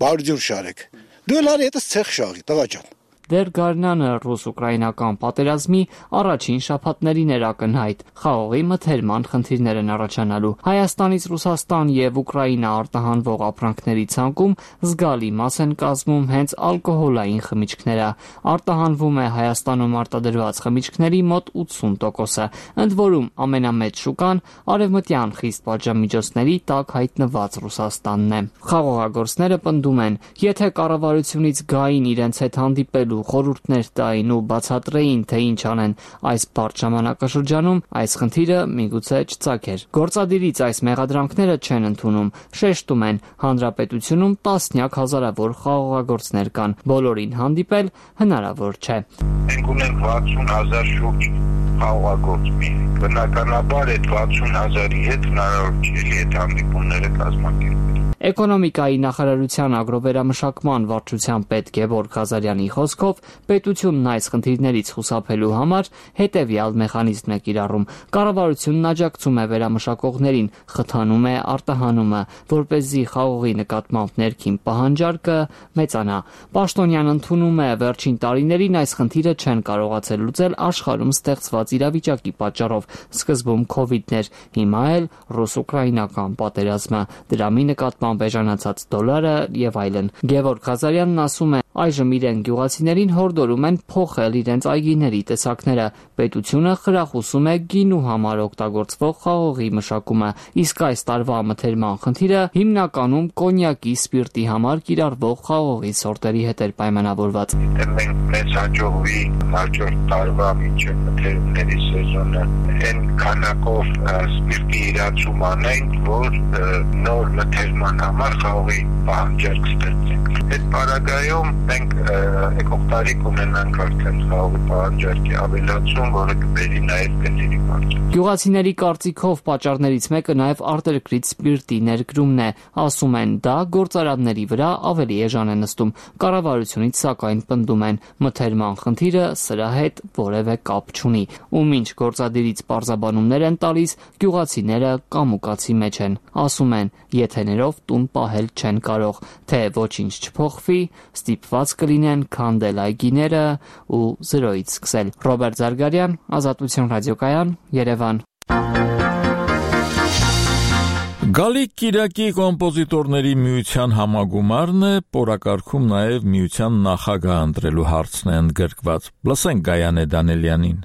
բարձր շարեք։ Դու էլ արի հետս ցեխ շաղի, տղա ջան։ Դեր գարնանը ռուս-ուկրաինական պատերազմի առաջին շաբաթներին էր ակնհայտ խաղողի մթերման խնդիրներ են առաջանալու։ Հայաստանից Ռուսաստան եւ Ուկրաինա արտահանվող ապրանքների ցանկում զգալի մաս են կազմում հենց ալկոհոլային խմիչքները։ Արտահանվում է Հայաստանում արտադրված խմիչքների մոտ 80%-ը, ընդ որում ամենամեծ շուկան արևմտյան խիստ պատժամիջոցների տակ հայտնված Ռուսաստանն է։ Խաղողագործները պնդում են, եթե կառավարությունից գային իրենց հետ հանդիպելու խորհուրդներ տային ու բացատրեին, թե ինչ անեն այս բարդ ժամանակաշրջանում, այս խնդիրը միգուցե չծագեր։ Գործադիրից այս մեղադրանքները չեն ընդունում, շեշտում են, հանրապետությունում տասնյակ հազարավոր խաղողագործներ կան, բոլորին հանդիպել հնարավոր չէ։ Մենք ունենք 60,000 շուրջ խաղողագործի։ Բնականաբար այդ 60,000-ի հետ հնարավոր չէ այդ հանդիպումները կազմակերպել։ Էկոնոմիկայի նախարարության ագրովերամշակման վարչության պետ Գևորգ Ղազարյանի խոսքով պետությունն այս խնդիրներից խուսափելու համար հետևյալ մեխանիզմ է կիրառում։ Կառավարությունն աջակցում է վերամշակողներին, խթանում է արտահանումը, որպեսզի խաղողի նկատմամբ ներքին պահանջարկը մեծանա։ Պաշտոնյան ընդունում է վերջին տարիներին այս խնդիրը չեն կարողացել լուծել աշխարհում ստեղծված իրավիճակի պատճառով, սկզբում COVID-ն էր, հիմա էլ ռուս-ուկրաինական պատերազմը, դրամի նկատմամբ էժանացած դոլարը եւ այլն։ Գևորգ Ղազարյանն ասում է, այժմ իրեն գյուղացիներին հորդորում են փոխել իրենց այգիների տեսակները։ Պետությունը խրախուսում է գինու համար օգտագործվող խաղողի մշակումը, իսկ այս տարվա մթերման խնդիրը հիմնականում կոնյակի սպիրտի համար կիրառվող խաղողի սորտերի հետ էր պայմանավորված։ Մենք մեծ հաջողվի հաջորդ տարվա մինչև մթերումների սեզոնը այն քանակով սպիրտի իրացում անենք, որ նոր մթերման համար խաղողի պահանջարկ ստեղծենք։ Այդ պարագայում մենք եկող տարի կունենանք արդեն խաղողի պահանջարկի ավելացում, որը կբերի նաև գների բարձր։ Գյուղացիների կարծիքով պատճառներից մեկը նաև արտերկրից սպիրտի ներկրումն է, ասում են, դա գործարանների վրա ավելի էժան է նստում։ Կառավարությունից սակայն պնդում են, մթերման խնդիրը սրա հետ որևէ կապ չունի։ Ու մինչ գործադիրից պարզաբանումներ են տալիս, գյուղացիները կամուկացի մեջ են, ասում են, եթեներով տուն պահել չեն կարող, թե ոչինչ չփոխվի, ստիպված կլինեն քանդել այգիները ու զրոյից սկսել։ Ռոբերտ Զարգարյան, Ազատություն ռադիոկայան, Երևան։ Գալիք Կիրակի կոմպոզիտորների միության համագումարն է, օրակարգում նաև միության նախագահ ընտրելու հարցն է ընդգրկված։ Լսենք Գայանե Դանելյանին։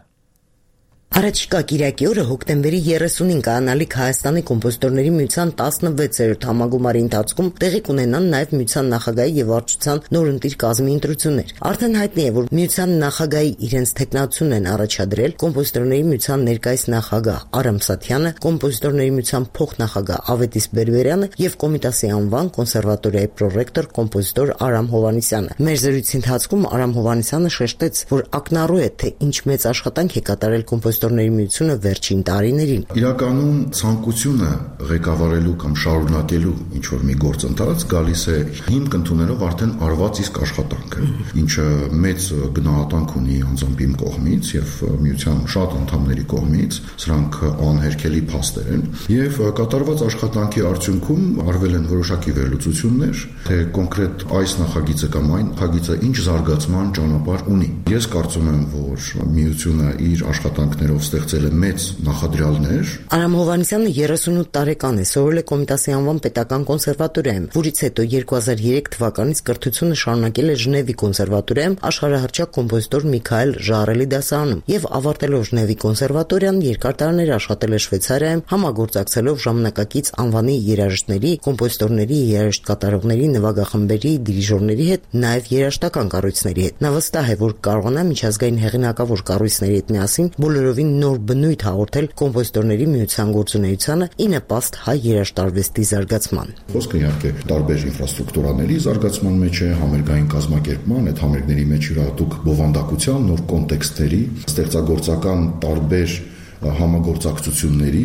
Առաջիկա Կիրակի օրը հոկտեմբերի 30-ին կայանալիք Հայաստանի կոմպոզիտորների միության 16-րդ համագումարի ընթացքում տեղի կունենան նաև միության նախագահի եւ վարչության նորընտիր կազմի ընտրություններ։ Արդեն հայտնի է, որ միության նախագահի իրենց թեկնածությունն են առաջադրել կոմպոզիտորների միության ներկայիս նախագահ Արամ Սաթյանը, կոմպոզիտորների միության փոխնախագահ Ավետիս Բերբերյանը եւ Կոմիտասի անվան կոնսերվատորիայի պրոռեկտոր կոմպոզիտոր Արամ Հովհաննիսյանը։ Մեր զրույցի ընթացքում Արամ Հովհաննիսյանը շեշտեց, որ ակնառու է, թե ինչ մեծ աշխատանք է կատարել կոմպոզիտորների կոմպոզիտորների միությունը վերջին տարիներին։ Իրականում ցանկությունը ղեկավարելու կամ շարունակելու ինչ որ մի գործընթաց գալիս է հիմք ընդունելով արդեն արված իսկ աշխատանքը, ինչը մեծ գնահատանք ունի անձամբ իմ կողմից եւ միության շատ անդամների կողմից, սրանք անհերքելի փաստեր են եւ կատարված աշխատանքի արդյունքում արվել են որոշակի վերլուծություններ, թե կոնկրետ այս նախագիծը կամ այն նախագիծը ինչ զարգացման ճանապարհ ունի։ Ես կարծում եմ, որ միությունը իր աշխատանքներով ստեղծել է մեծ նախադրյալներ։ Արամ Հովհաննիսյանը 38 տարեկան է, սովորել է Կոմիտասի անվան պետական կոնսերվատորիայում, որից հետո 2003 թվականից կրթությունը շարունակել է Ժնևի կոնսերվատորիայում աշխարհահռչակ կոմպոզիտոր Միքայել Ժարելի դասարանում եւ ավարտելով Ժնևի կոնսերվատորիան երկար տարիներ աշխատել է Շվեյցարիայում, համագործակցելով ժամանակակից անվանի երաժիշտների, կոմպոզիտորների, երաժիշտ կատարողների, նվագախմբերի, դիրիժորների հետ, նաեւ երաժշտական կառույցների հետ։ Նա վստահ է, որ կարողանա միջազգային հեղինակավոր կառույցների հետ միասին բոլորովին նոր բնույթ հաղորդել կոմպոզիտորների միության գործունեությանը ի նպաստ հայ երաժշտարվեստի զարգացման։ Խոսքը իհարկե տարբեր ինֆրաստրուկտուրաների զարգացման մեջ է, համերգային կազմակերպման, այդ համերգների մեջ յուրահատուկ բովանդակության, նոր կոնտեքստերի, ստեղծագործական տարբեր համագործակցությունների,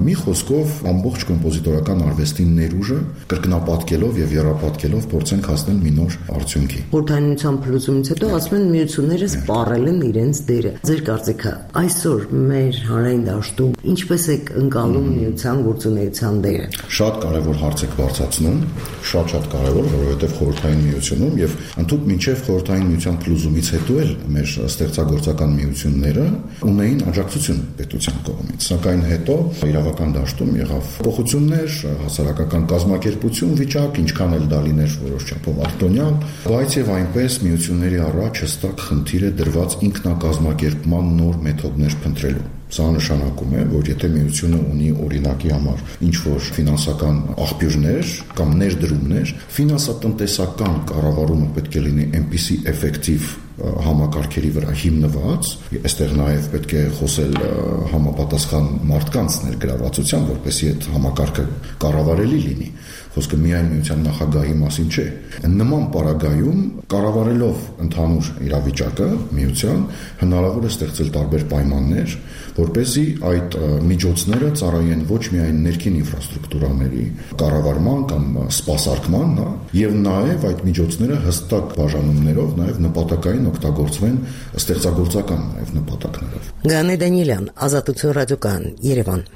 մի խոսքով ամբողջ կոմպոզիտորական արվեստի ներուժը կրկնապատկելով եւ եռապատկելով փորձենք հասնել մի նոր արդյունքի։ Խորհրդանոցության փլուզումից հետո ասում են միությունները սպառել են իրենց դերը։ Ձեր կարծիքը այսօր մեր հանրային դաշտում ինչպես է ընկալում միության գործունեության դերը։ Շատ կարևոր հարց եք բարձրացնում, շատ կարևոր, որովհետեւ խորհրդային միությունում եւ ընդհանուր մինչեւ խորհրդային միության փլուզումից հետո էլ մեր ստեղծագործական միությունները ունեին աջակցություն պետության կողմից, սակայն հետո իրավական դաշտում եղավ փոփոխություններ, հասարակական կազմակերպություն վիճակ, ինչքան էլ դա լիներ որոշ չափով արտոնյալ, բայց եւ այնպես միությունների առաջ հստակ խնդիր է դրված ինքնակազմակերպման նոր մեթոդներ փնտրելու։ Սա նշանակում է, որ եթե միությունը ունի օրինակի համար ինչ-որ ֆինանսական աղբյուրներ կամ ներդրումներ, ֆինանսատնտեսական կառավարումը պետք է լինի այնպիսի էֆեկտիվ համակարգերի վրա հիմնված, այստեղ նաև պետք է խոսել համապատասխան մարդկանց ներգրավվածության, որպեսզի այդ համակարգը կառավարելի լինի։ Խոսքը միայն միության նախագահի մասին չէ։ Նման պարագայում կառավարելով ընդհանուր իրավիճակը միության հնարավոր է ստեղծել տարբեր պայմաններ, որպեսզի այդ միջոցները ծառայեն ոչ միայն ներքին ինֆրաստրուկտուրաների կառավարման կամ սպասարկման, եւ նաեւ այդ միջոցները հստակ բաժանումներով նաեւ նպատակային օգտագործվեն ստեղծագործական նաեւ նպատակներով։ Գանե Դանիելյան, Ազատություն ռադիոկայան, Երևան։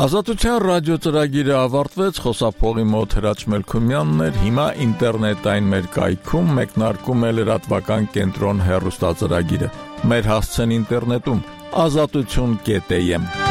Ազատության ռադիո ծրագիրը ավարտվեց, խոսափողի մոտ Հրաչ Մելքումյանն էր, հիմա ինտերնետային մեր կայքում մեկնարկում է լրատվական կենտրոն հեռուստածրագիրը։ Մեր հասցեն ինտերնետում azatutun.am